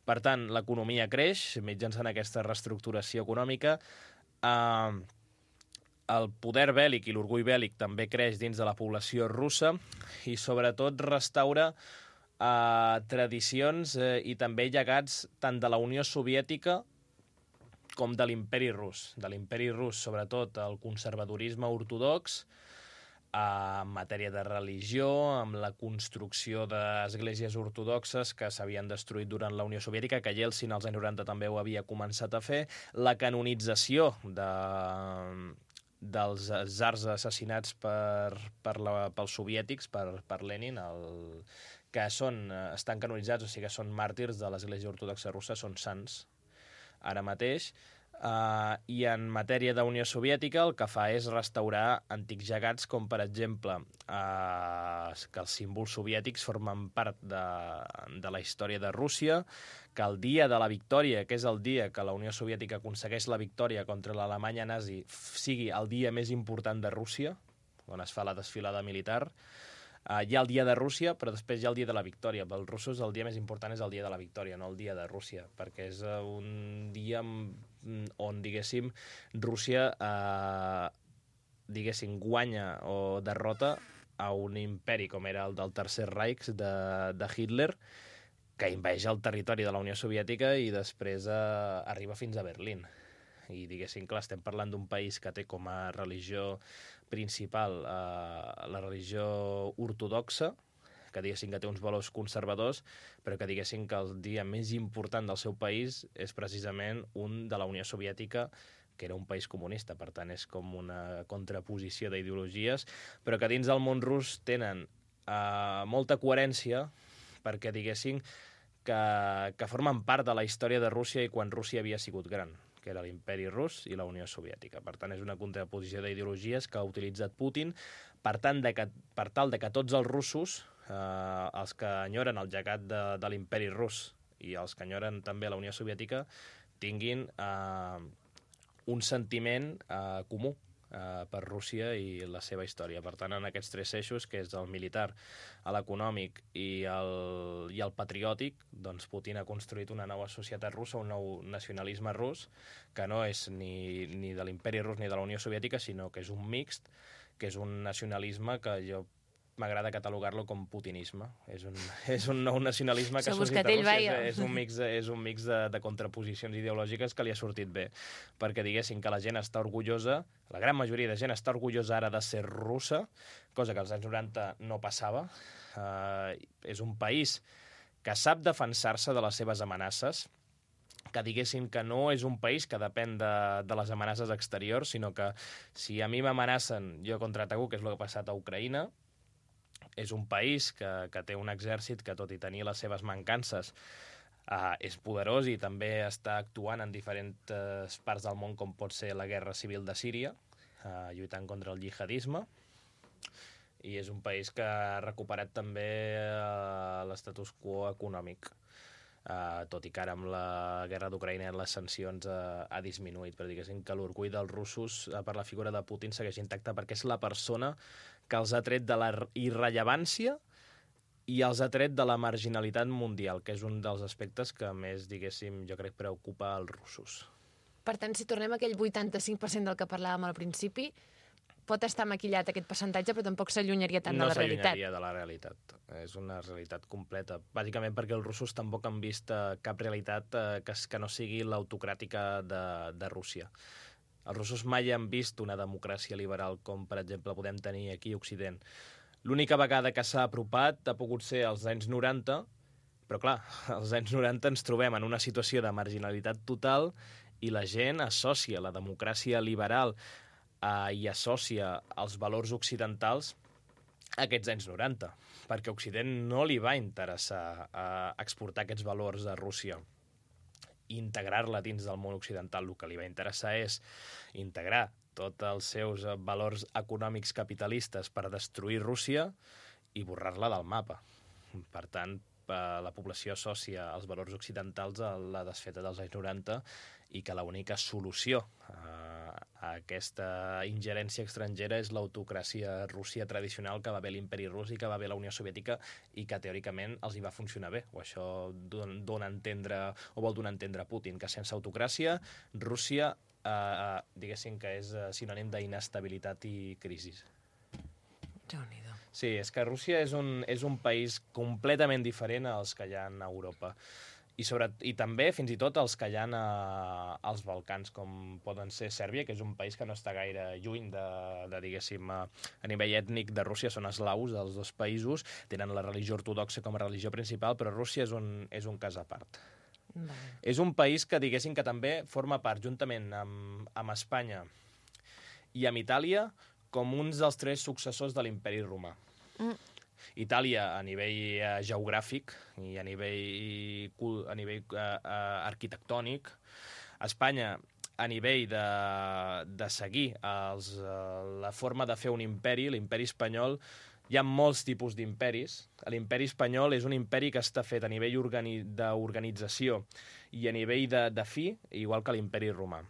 Per tant, l'economia creix mitjançant aquesta reestructuració econòmica. Uh, el poder bèl·lic i l'orgull bèl·lic també creix dins de la població russa i sobretot restaura uh, tradicions uh, i també llegats tant de la Unió Soviètica com de l'imperi rus. De l'imperi rus, sobretot, el conservadorisme ortodox, en matèria de religió, amb la construcció d'esglésies ortodoxes que s'havien destruït durant la Unió Soviètica, que Yeltsin als anys noranta també ho havia començat a fer, la canonització de, dels zars assassinats per, per la, pels soviètics, per, per Lenin, el, que són, estan canonitzats, o sigui que són màrtirs de l'Església Ortodoxa Russa, són sants ara mateix. Uh, I en matèria d'Unió Soviètica el que fa és restaurar antics llegats com, per exemple, uh, que els símbols soviètics formen part de, de la història de Rússia, que el dia de la victòria, que és el dia que la Unió Soviètica aconsegueix la victòria contra l'Alemanya nazi, sigui el dia més important de Rússia, on es fa la desfilada militar. Uh, hi ha el dia de Rússia, però després hi ha el dia de la victòria. Per als russos el dia més important és el dia de la victòria, no el dia de Rússia, perquè és uh, un dia on, diguéssim, Rússia uh, diguéssim, guanya o derrota a un imperi com era el del Tercer Reich de, de Hitler, que inveix el territori de la Unió Soviètica i després uh, arriba fins a Berlín. I diguéssim, clar, estem parlant d'un país que té com a religió principal eh, la religió ortodoxa, que diguéssim que té uns valors conservadors, però que diguéssim que el dia més important del seu país és precisament un de la Unió Soviètica, que era un país comunista, per tant és com una contraposició d'ideologies, però que dins del món rus tenen eh, molta coherència, perquè diguéssim que, que formen part de la història de Rússia i quan Rússia havia sigut gran, que era l'imperi rus i la Unió Soviètica. Per tant, és una contraposició d'ideologies que ha utilitzat Putin per, tant de que, per tal de que tots els russos, eh, els que enyoren el llegat de, de l'imperi rus i els que enyoren també la Unió Soviètica, tinguin eh, un sentiment eh, comú eh, per Rússia i la seva història. Per tant, en aquests tres eixos, que és el militar, l'econòmic i, el, i el patriòtic, doncs Putin ha construït una nova societat russa, un nou nacionalisme rus, que no és ni, ni de l'imperi rus ni de la Unió Soviètica, sinó que és un mixt, que és un nacionalisme que jo m'agrada catalogar-lo com putinisme. És un, és un nou nacionalisme que ha sortit a Rússia. És, és un mix, és un mix de, de contraposicions ideològiques que li ha sortit bé. Perquè diguéssim que la gent està orgullosa, la gran majoria de gent està orgullosa ara de ser russa, cosa que als anys noranta no passava. Uh, és un país que sap defensar-se de les seves amenaces, que diguéssim que no és un país que depèn de, de les amenaces exteriors, sinó que si a mi m'amenacen, jo contraataco, que és el que ha passat a Ucraïna. És un país que, que té un exèrcit que, tot i tenir les seves mancances, uh, és poderós i també està actuant en diferents uh, parts del món, com pot ser la guerra civil de Síria, uh, lluitant contra el jihadisme. I és un país que ha recuperat també uh, l'estatus quo econòmic. Uh, tot i que ara amb la guerra d'Ucraïna les sancions uh, ha disminuït, però diguéssim que l'orgull dels russos uh, per la figura de Putin segueix intacte, perquè és la persona que els ha tret de la irrellevància i els ha tret de la marginalitat mundial, que és un dels aspectes que més, diguéssim, jo crec preocupa als russos. Per tant, si tornem a aquell vuitanta-cinc per cent del que parlàvem al principi, pot estar maquillat aquest percentatge, però tampoc s'allunyaria tant no de la realitat. No s'allunyaria de la realitat. És una realitat completa. Bàsicament perquè els russos tampoc han vist eh, cap realitat eh, que, que no sigui l'autocràtica de, de Rússia. Els russos mai han vist una democràcia liberal com, per exemple, podem tenir aquí a Occident. L'única vegada que s'ha apropat ha pogut ser als anys noranta, però clar, als anys noranta ens trobem en una situació de marginalitat total i la gent associa la democràcia liberal Uh, i associa els valors occidentals a aquests anys noranta, perquè a Occident no li va interessar uh, exportar aquests valors a Rússia i integrar-la dins del món occidental. El que li va interessar és integrar tots els seus valors econòmics capitalistes per destruir Rússia i borrar-la del mapa. Per tant, la població associa als valors occidentals a la desfeta dels anys noranta i que l'única solució a, a aquesta ingerència estrangera és l'autocràcia Rússia tradicional que va haver l'imperi rus i que va haver la Unió Soviètica i que teòricament els hi va funcionar bé. O això dona a entendre, o vol donar a entendre Putin, que sense autocràcia Rússia, eh, diguéssim que és sinònim d'inestabilitat i crisi. Déu-n'hi-do. Sí, és que Rússia és un, és un país completament diferent als que hi ha a Europa. I, sobre, i també, fins i tot, els que hi ha a, als Balcans, com poden ser Sèrbia, que és un país que no està gaire lluny de, de diguéssim, a, a nivell ètnic de Rússia, són eslaus, els dos països, tenen la religió ortodoxa com a religió principal, però Rússia és un, és un cas a part. Vale. És un país que, diguéssim, que també forma part, juntament amb, amb Espanya i amb Itàlia, com uns dels tres successors de l'imperi romà. Mm. Itàlia a nivell eh, geogràfic i a nivell, a nivell eh, eh, arquitectònic, Espanya a nivell de, de seguir els, eh, la forma de fer un imperi, l'imperi espanyol. Hi ha molts tipus d'imperis. L'imperi espanyol és un imperi que està fet a nivell organi d'organització i a nivell de, de fi, igual que l'imperi romà.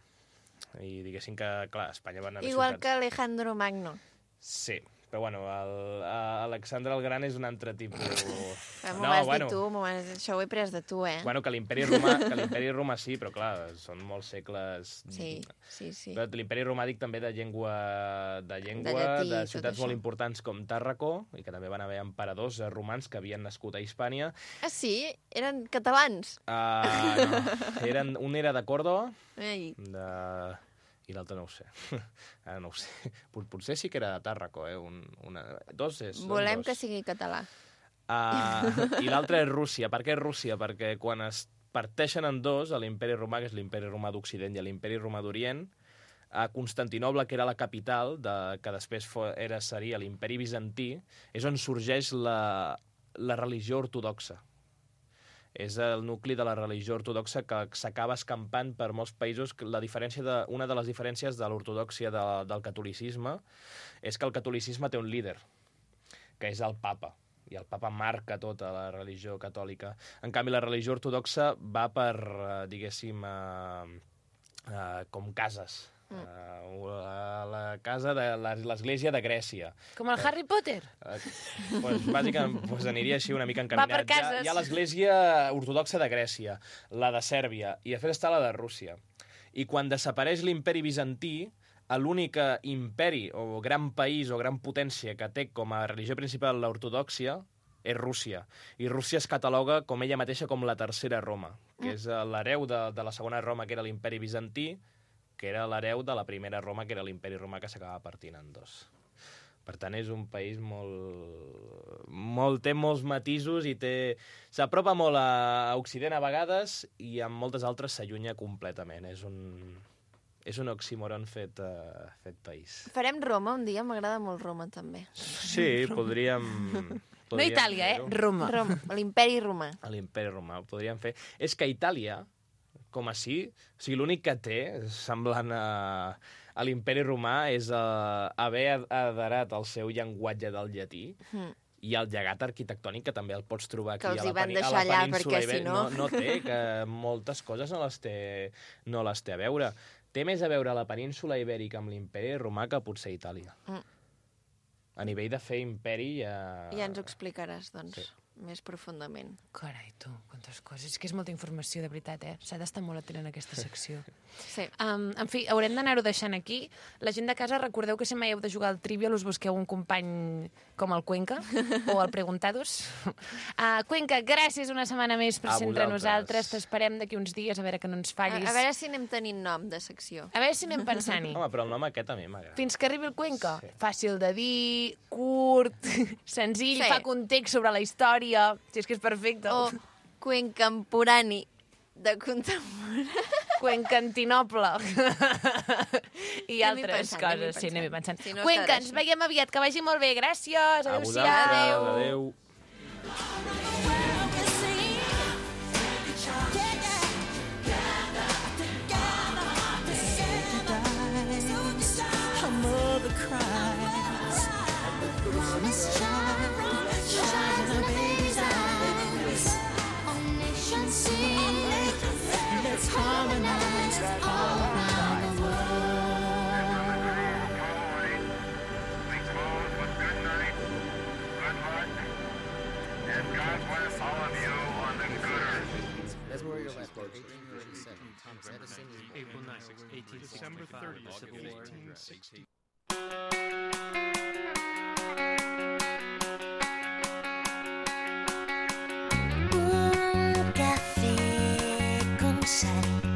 I diguéssim que, clar, Espanya van haver igual ciutats. Que Alejandro Magno. Sí, però bueno, el, Alexandre el Gran és un altre tipus... M'ho no, vas bueno, dir tu, vas... això ho he pres de tu, eh? Bueno, que l'imperi romà, que l'imperi romà sí, però clar, són molts segles... Sí, sí, sí. Però l'imperi romà dic també de llengua, de, llengua, de, llatí, de ciutats molt importants com Tàrraco, i que també van haver emperadors romans que havien nascut a Hispània. Ah, sí? Eren catalans? Uh, no, eren, un era de Còrdova, Ei. de... i l'altre no ho sé. Ara no ho sé. Potser sí que era de Tàrraco, eh? Un, una... Dos és... Volem dos. que sigui català. Uh, I l'altre és Rússia. Per què és Rússia? Perquè quan es parteixen en dos, a l'imperi romà, que és l'imperi romà d'Occident, i a l'imperi romà d'Orient, a Constantinoble, que era la capital, de, que després era, seria l'imperi bizantí, és on sorgeix la, la religió ortodoxa. És el nucli de la religió ortodoxa que s'acaba escampant per molts països. La diferència de, una de les diferències de l'ortodòxia de, del catolicisme és que el catolicisme té un líder, que és el papa, i el papa marca tota la religió catòlica. En canvi, la religió ortodoxa va per, diguéssim, uh, uh, com cases. Uh, la casa de l'església de Grècia. Com el Harry Potter? Uh, pues, bàsicament pues, aniria així una mica encaminat. Va per cases. Hi ha, hi ha l'església ortodoxa de Grècia, la de Sèrbia, i després està la de Rússia. I quan desapareix l'imperi bizantí, l'únic imperi o gran país o gran potència que té com a religió principal l'ortodòxia és Rússia. I Rússia es cataloga com ella mateixa com la tercera Roma, que és l'hereu de, de la segona Roma, que era l'imperi bizantí, que era l'hereu de la primera Roma, que era l'imperi romà, que s'acaba partint en dos. Per tant, és un país molt... molt té molts matisos i té... s'apropa molt a Occident a vegades i amb moltes altres s'allunya completament. És un... és un oxímoron fet, uh, fet país. Farem Roma un dia, m'agrada molt Roma, també. Sí, podríem... podríem no Itàlia, eh? Roma. Roma, l'imperi romà. L'imperi romà, ho podríem fer. És que Itàlia, com així, o sigui, l'únic que té, semblant a, a l'imperi romà, és uh, haver aderat al seu llenguatge del llatí, mm. i el llegat arquitectònic, que també el pots trobar aquí a la, a la península Ibèrica. No... no, no té, que moltes coses no les té, no les té a veure. Té més a veure la península Ibèrica amb l'imperi romà que potser Itàlia. Mm. A nivell de fer imperi... Ja, ja ens ho explicaràs, doncs. Sí. Més profundament. Carai, tu, quantes coses. És que és molta informació, de veritat, eh? S'ha d'estar molt atent en aquesta secció. Sí. Um, en fi, haurem d'anar-ho deixant aquí. La gent de casa, recordeu que si mai heu de jugar al Trivial us busqueu un company com el Cuenca o el Preguntados. Uh, Cuenca, gràcies una setmana més per ser entre nosaltres. T'esperem d'aquí uns dies, a veure que no ens fallis. A, a veure si anem tenint nom de secció. A veure si anem pensant-hi. Home, però el nom aquest a mi m'agrada. Fins que arribi el Cuenca. Sí. Fàcil de dir, curt, senzill, sí. Fa context sobre la història. Si és que és perfecte. O cuencamporani de contemporani. Cuencantinoble. I altres pensant, coses. Sí, anem-hi pensant. Si no Cuenca, ens veiem aviat. Que vagi molt bé. Gràcies. Adéu-siau. Adéu. Promise child, shine in a baby's eyes. December thirtieth, fifteen sixty. Un café con sal.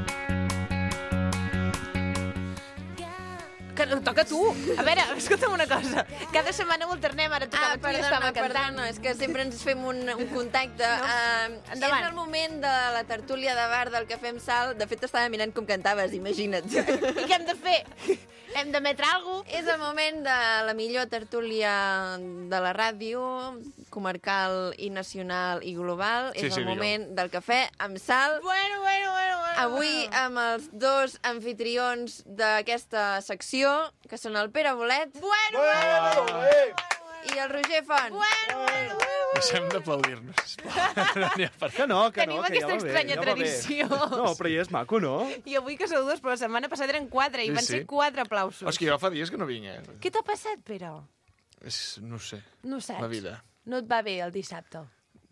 Que toca a tu. A veure, escolta'm una cosa. Cada setmana ho alternem, ara tocava Ah, tu i perdona, estava cantant. perdona, és que sempre ens fem un, un contacte. No. Uh, Endavant. és el moment de la tertúlia de bar del Cafè amb Sal. De fet, t'estava mirant com cantaves, imagina't. I què hem de fer? Hem d'emetre alguna cosa? És el moment de la millor tertúlia de la ràdio, comarcal i nacional i global. Sí, és sí, el millor. moment del Cafè amb Sal. Bueno, bueno, bueno, bueno. Avui amb els dos anfitrions d'aquesta secció, que són el Pere Bolet Bueno, bueno, bueno. i el Roger Font. Bueno, bueno, bueno. Deixem d'aplaudir-nos, sisplau. No n'hi ha per Que no, que Tenim no, que aquesta ja va bé, estranya ja va bé. tradició. No, però ja és maco, no? I avui que sou dos, però la setmana passada eren quatre, i Sí, van sí. ser quatre aplausos. És que jo fa dies que no vinc, eh? Què t'ha passat, Pere? És, no ho sé, No ho saps. la vida. No et va bé el dissabte.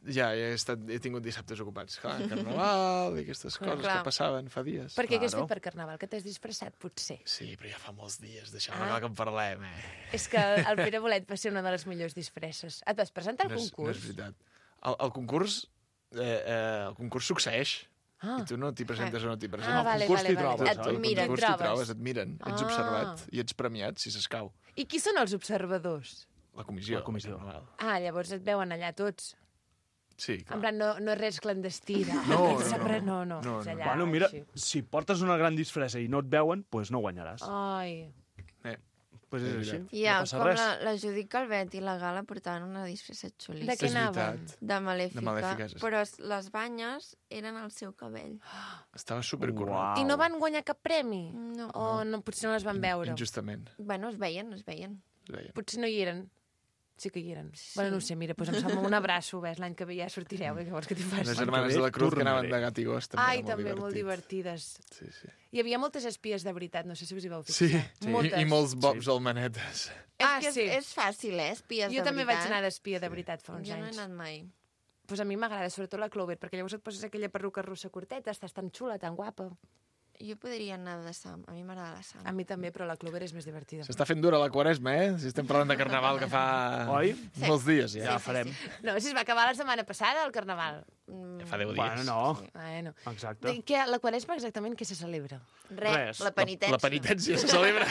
Ja, he, estat, he tingut dissabtes ocupats. Clar, carnaval i aquestes Clar. coses Clar. que passaven fa dies. Per què? Què has fet per Carnaval? Que t'has disfressat, potser? Sí, però ja fa molts dies, deixeu-me Ah. que en parlem, eh? És que el Pere Bolet va ser una de les millors disfresses. Et vas presentar al no és, No concurs? és veritat. El, el concurs... Eh, eh, el concurs succeeix. Ah. I tu no t'hi presentes o no t'hi presentes. Ah, vale, concurs vale, t'hi vale. trobes. Et al miren. concurs t'hi Trobes. trobes, et miren. Ets Ah. observat i ets premiat, si s'escau. I qui són els observadors? La comissió. La comissió. Carnaval. Ah, llavors et veuen allà tots. Sí, clar. En plan, no, no és res clandestí. De... No, Aquest no, sempre- no. no, no, no, és no. allà, Bueno, mira, així. si portes una gran disfressa i no et veuen, doncs pues no guanyaràs. Ai. Eh. Pues és així, I ja, no passa com res. la, la Judit Calvet i la Gala portaven una disfressa xulíssima. De què És anaven? veritat. De malèfica. De malèfica, sí. Però es- les banyes eren el seu cabell. Estava supercornat. I no van guanyar cap premi? No. O no, potser no les van veure? Injustament. Bueno, es veien, es veien. Es veien. Potser no hi eren. Sí que hi eren. Sí. Bueno, no ho sé, mira, doncs em sembla un abraço, ves, l'any que ve ja sortireu, eh, què vols que t'hi faci? Les germanes de la Cruz que anaven de gat i gos també Ai, era molt també, divertit. molt divertides. Sí, sí. Hi havia moltes espies de veritat, no sé si us hi vau Sí, fixar. sí. Moltes. I, i molts bobs sí. al manetes. Ah, és que és, sí. és fàcil, eh, espies Jo de també veritat. vaig anar d'espia de veritat fa uns Jo no he anys. anat mai. Pues a mi m'agrada, sobretot la Clover, perquè llavors et poses aquella perruca russa curteta, estàs tan xula, tan guapa. Jo podria anar de Sam, a mi m'agrada la Sam. A mi també, però la Clover és més divertida. S'està fent dura la quaresma, eh? Si estem parlant de carnaval que fa Oi? Sí. molts dies ja. Ja farem. No, si es va acabar la setmana passada, el Carnaval. Ja fa deu dies. Bueno, no. Bueno. Exacte. I què, la Quaresma exactament què se celebra? Res, Res. la penitència. La penitència se celebra.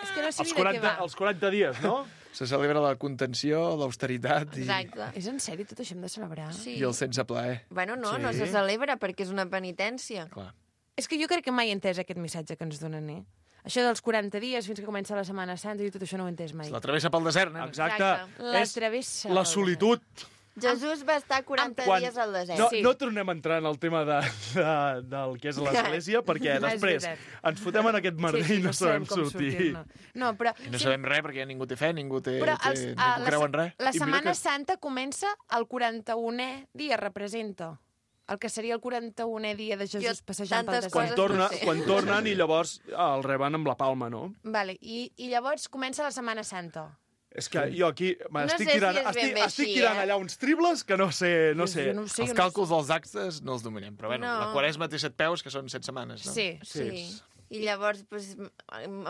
És que no sé Els ni de què quaranta, va. els quaranta dies, no? Se celebra la contenció, l'austeritat i, Exacte. És en sèrio, tot això hem de celebrar? Sí. i el sense plaer. Bueno, no, Sí. no se celebra perquè és una penitència. Clar. És que jo crec que mai he entès aquest missatge que ens donen, eh? Això dels quaranta dies fins que comença la Setmana Santa, i tot això no ho he entès mai. És la travessa pel desert, nen. Exacte. La És travessa. la solitud. Jesús va estar quaranta Quan- dies al desert. No, Sí. no tornem a entrar en el tema de, de, del que és l'església, perquè No, és després veritat. ens fotem en aquest merder Sí, sí, i no sabem com sortir. sortir-ne. No, però... I no sabem res perquè ningú té fe, ningú té... Però té els, ningú a, la, creu en res. la I mira Setmana que- Santa comença el quaranta-unè dia, representa. El que seria el quaranta-unè dia de Jesús Jo passejant pel tantes desert. Quan, coses torna, no sé. quan tornen i llavors el reben amb la palma, no? Vale, i, i llavors comença la Setmana Santa. És que jo aquí m'estic sé si tirant, és ben estic, bé estic així, tirant eh? allà uns tribles que no sé... No Jo- sé. jo no ho sé, Els jo no ho càlculs dels actes no els dominem, però bueno, No. la quaresma té set peus, que són set setmanes, no? Sí. Sí. I llavors, pues,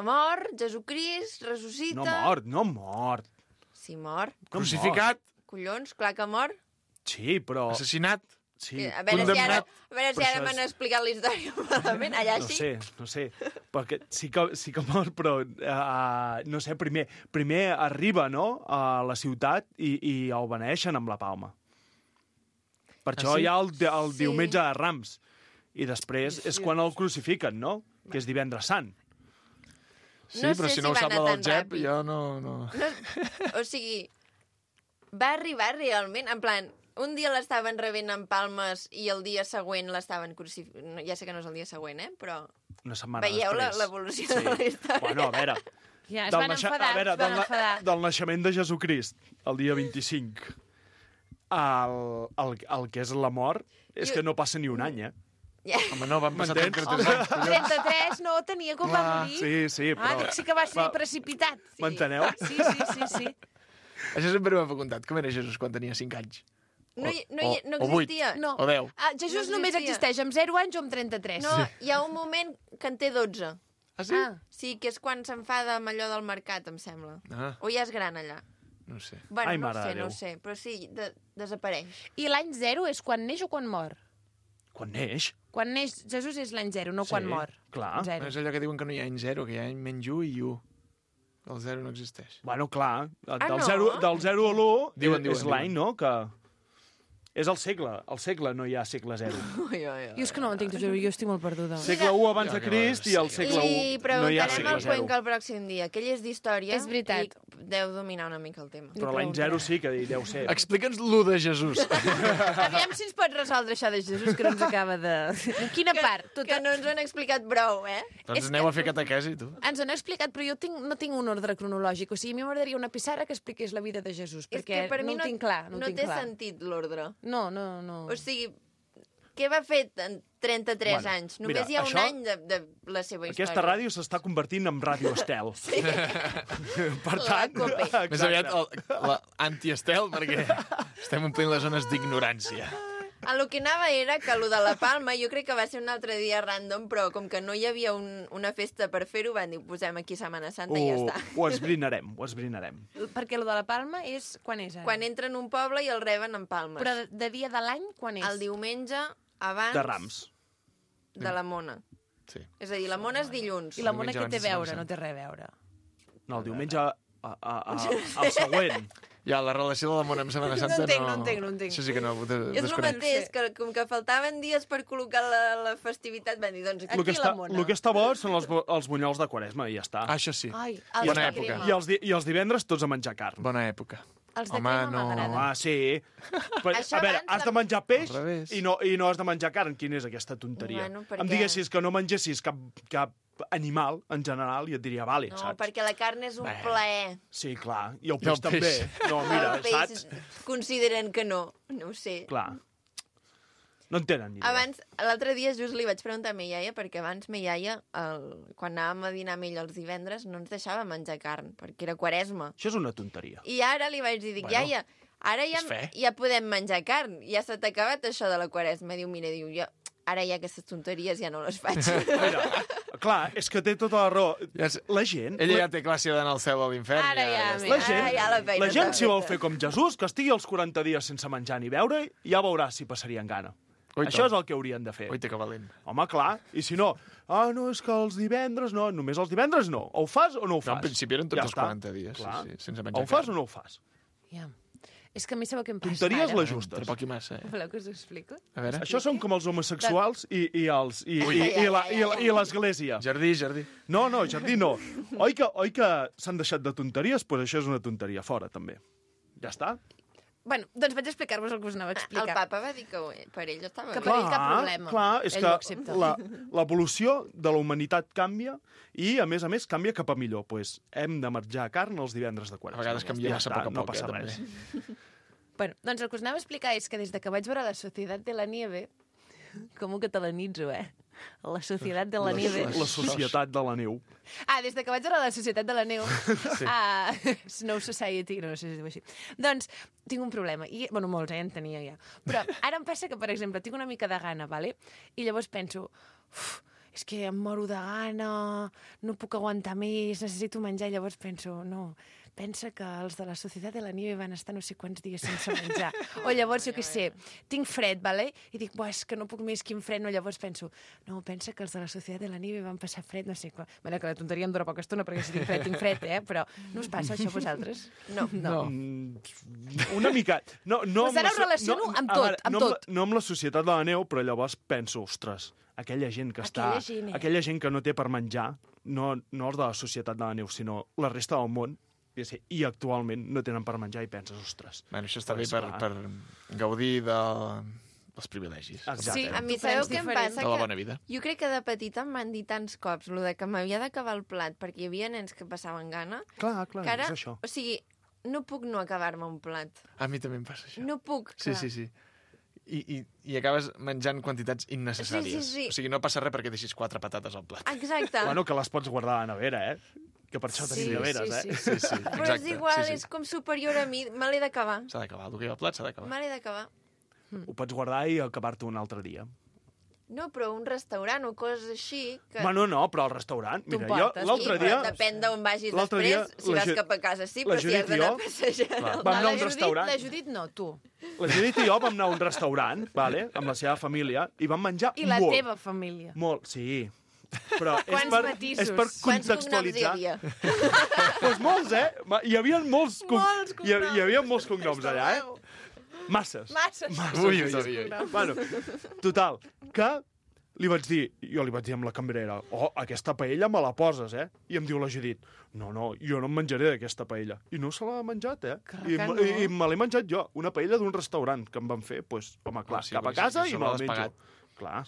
mor, Jesucrist, ressuscita... No mort, no mort. Sí, mor. No Crucificat, Collons, clar que mor. Sí, però... assassinat, Sí, A veure si ara, condemnat. a veure si Però ara això m'han és- explicat la història malament. Allà no sí. sé, no sé. Perquè sí que, sí que mor, però... Uh, no sé, primer, primer arriba, no?, a la ciutat i, i el beneixen amb la palma. Per això sí? hi ha el, el Sí. diumenge de Rams. I després és quan el crucifiquen, no?, que és divendres sant. Sí, No però sé si si no ho va sap anar la del tan Jep, ràpid. jo no... no... No, o sigui, va arribar realment, en plan, un dia l'estaven rebent en palmes i el dia següent l'estaven crucificant. Ja sé que no és el dia següent, eh? Però Una setmana veieu la- després. l'evolució de la història. Bueno, a veure... Ja, es del van naixa- enfadar, a veure, es van del, na- enfadar. del naixement de Jesucrist, el dia vint-i-cinc, el, el, el que és la mort, és Jo- que no passa ni un any, eh? Ja. Home, no, van passar M'entens? trenta-tres Home, anys, collons. trenta-tres, no, tenia com va Clar, morir. Sí, sí, Ah, però... dic, sí que va ser va- precipitat. M'enteneu? Sí, sí, sí, sí. Això sempre m'ha preguntat, com era Jesús quan tenia cinc anys? No, hi, no, hi, no o vuit, existia. No. o deu. Ah, Jesús No només existia. existeix amb zero anys o amb trenta-tres. No, hi ha un moment que en té dotze. Ah, sí? Ah. Sí, que és quan s'enfada amb allò del mercat, em sembla. Ah, O ja és gran, allà. no ho sé. Bueno, Ai, no ho mare sé, de no ho Déu. sé, però sí, de, desapareix. I l'any zero és quan neix o quan mor? Quan neix. Quan neix Jesús és l'any zero, no Sí, quan mor. clar. Zero. És allò que diuen que no hi ha any zero, que hi ha any menys u i u. El zero no existeix. Bueno, clar, del, no? zero, del zero a l'u Diuen, és diuen, l'any, no? Que és el segle. Al segle no hi ha segle zero. Ui, ui, ui. Jo és que no ho entenc, t'ho juro, jo estic molt perduda. Segle u abans de Crist i el segle I u no hi ha preguntarem segle al zero. Cuenca el pròxim dia, que ell és d'història. És veritat. I deu dominar una mica el tema. Però l'any zero sí que deu ser. Explica'ns l'u de Jesús. Aviam si ens pot resoldre això de Jesús, que no ens acaba de... En quina Que, part? Tot... que no ens ho han explicat prou, eh? doncs És aneu que- a fer catequesi, tu. Ens ho han explicat, però jo tinc, no tinc un ordre cronològic. O sigui, a mi m'agradaria una pissarra que expliqués la vida de Jesús, És perquè que per mi no no, ho tinc clar. No, ho no tinc té clar. sentit l'ordre. No, no, no. O sigui, què va fer en trenta-tres Bueno, anys? Només mira, hi ha això- un any de, de la seva història. Aquesta ràdio s'està convertint en Ràdio Estel. Sí. Per La tant, Cope. exacte. Més aviat el- la anti-estel, perquè estem omplint les zones d'ignorància. A lo que anava era que lo de la Palma jo crec que va ser un altre dia random, però com que no hi havia un, una festa per fer-ho, van dir, posem aquí Setmana Santa i ja Ho, està. ho esbrinarem, ho esbrinarem. Perquè lo de la Palma és... Quan és ara? Quan entra en un poble i el reben en palmes. Però de, de dia de l'any, quan és? El diumenge abans De Rams. de la Mona. Sí. És a dir, la Mona és dilluns. I la Mona Diumenge què té a abans de veure? Setmana No té res a veure. No, el diumenge a, a, a, a, el següent. Ja, la relació de la Mona amb Setmana Santa No entenc, no entenc, no entenc. Això sí que no, de, És el desconec. mateix, que com que faltaven dies per col·locar la, la festivitat, van dir, doncs El que, aquí està, la Mona. el que està bo són els, bo- els bunyols de Quaresma, i ja està. Ah, això sí. Ai, els Bona de època. crema. I els, di, I els divendres tots a menjar carn. Bona època. Els de Home, crema no. m'agraden. Ah, sí. Però, Això a veure, abans has la- de menjar peix Al revés. i no, i no has de menjar carn. Quina és aquesta tonteria? Bueno, perquè- Em diguessis que no mengessis cap, cap animal, en general, i et diria, vale, No, saps? perquè la carn és un Bé. plaer. Sí, clar. I el I peix el també. peix. No, mira, el peix saps? consideren que no. No ho sé. Clar. No en tenen ni idea. Abans, l'altre dia just li vaig preguntar a mi iaia, perquè abans mi iaia, el, quan anàvem a dinar amb ell els divendres, no ens deixava menjar carn, perquè era Quaresma. Això és una tonteria. I ara li vaig dir, dic, Bueno, iaia, ara ja, és fe. ja podem menjar carn, ja s'ha acabat això de la Quaresma. Diu, mira, diu, jo, ara ja aquestes tonteries ja no les faig. Mira, clar, és que té tota la raó. Ja és- La gent... Ella la, ja té clar si ha d'anar al cel o a l'infern. Ara ja, està. mira. la gent, Ara ja la feina la gent està si vol feta. fer com Jesús, que estigui els quaranta dies sense menjar ni beure, ja veurà si passarien gana. Oita. Això és el que haurien de fer. Oita, que valent. Home, clar, i si no, ah, no, és que els divendres no, només els divendres no. O ho fas o no ho No, fas. en principi eren tots Ja els està. quaranta dies, sí, Clar. sí, sense menjar O ho fas carn. o no ho fas. Ja. És que a mi sabeu què em passa Tonteries ara? les justes. Tampoc hi massa, eh? Voleu que us ho explico? A veure. Això són com els homosexuals i, i, els, i, Ui. i, i, la, i, la, i l'església. Jardí, jardí. No, no, jardí no. Oi que, oi que s'han deixat de tonteries? Doncs pues això és una tonteria fora, també. Ja està. Bueno, doncs vaig explicar-vos el que us anava a explicar. El papa va dir que per ell estava Que bé. per ell cap problema. Clar, és Ell ho que accepta. la- l'evolució de la humanitat canvia i, a més a més, canvia cap a millor. Pues hem de menjar carn els divendres de A Quaresma. vegades canvia Ja massa està, a poc a no poc, passa eh, res. també. Bueno, doncs el que us anava a explicar és que des de que vaig veure la Societat de la Nieve, com ho catalanitzo, eh? La Societat de la Nieve. La societat de la neu. Ah, des de que vaig veure la Societat de la Neu, sí. a Snow Society, no sé si es diu així. Doncs tinc un problema. I, bueno, molts, eh, en tenia ja. Però ara em passa que, per exemple, tinc una mica de gana, vale? I llavors penso, uf, és que em moro de gana, no puc aguantar més, necessito menjar. I llavors penso, no, pensa que els de la Societat de la Nieve van estar no sé quants dies sense menjar. O llavors, jo què sé, tinc fred, vale? I dic, buah, és que no puc més, quin fred. No, llavors penso, no, pensa que els de la Societat de la Nieve van passar fred, no sé què. Bueno, que la tonteria em dura poca estona, perquè si tinc fred, tinc fred, eh? Però no us passa això a vosaltres? No. No. Mm, una mica... No, no Pues ara amb la ho so- relaciono amb a tot, veure, amb no tot. la, no amb la societat de la neu, però llavors penso, ostres, aquella gent que està... Aquella gent, eh? Aquella gent que no té per menjar, no, no els de la societat de la neu, sinó la resta del món, i sé, i actualment no tenen per menjar i penses, ostres... Bueno, això està Pues bé per, clar. per gaudir de, dels privilegis. Exacte. Sí, A mi Tu sabeu prens què em diferent. passa? De la Que bona vida. jo crec que de petita em van dir tants cops lo de que m'havia d'acabar el plat perquè hi havia nens que passaven gana, Clar, clar, que ara, és això. o sigui, no puc no acabar-me un plat. A mi també em passa això. No puc. Sí, que- sí, sí. I, i, I acabes menjant quantitats innecessàries. Sí, sí, sí. O sigui, no passa res perquè deixis quatre patates al plat. Exacte. Bueno, que les pots guardar a la nevera, eh? Que per això Sí, tenim neveres, sí, eh? sí. Sí, sí, Però és exacte. igual, sí, és sí. com superior a mi. Me l'he d'acabar. S'ha d'acabar, el que hi ha al plat s'ha d'acabar. Me l'he d'acabar. Mm. Ho pots guardar i acabar-te un altre dia. No, però un restaurant o coses així... Que... Bueno, no, però al restaurant... Tu Mira, jo portes, l'altre sí, dia... però depèn d'on vagis l'altre després, dia, si la vas Ju- cap a casa sí, la però si has Judit i d'anar jo- a passejar... Clar, al- vam anar a la un Judit, restaurant. La Judit no, tu. La Judit i jo vam anar a un restaurant, vale, amb la seva família, i vam menjar I la molt. teva família. Molt, sí. Però és Quants per, matisos? és per Quants cognoms hi contextualitzar. havia? Doncs molts, eh? Ma- Hi havia molts, cog... Molts hi, ha- hi havia molts cognoms allà, eh? Masses. Masses. Masses. Ui, ui, ui, ui. Bueno, total, que li vaig dir, jo li vaig dir amb la cambrera, oh, aquesta paella me la poses, eh? I em diu la Judit, no, no, jo no em menjaré d'aquesta paella. I no se l'ha menjat, eh? I, que no. i, I me l'he menjat jo, una paella d'un restaurant que em van fer, doncs, home, clar, Sí, cap a perquè casa si i sobre me'l l'has menjo. pagat. Clar.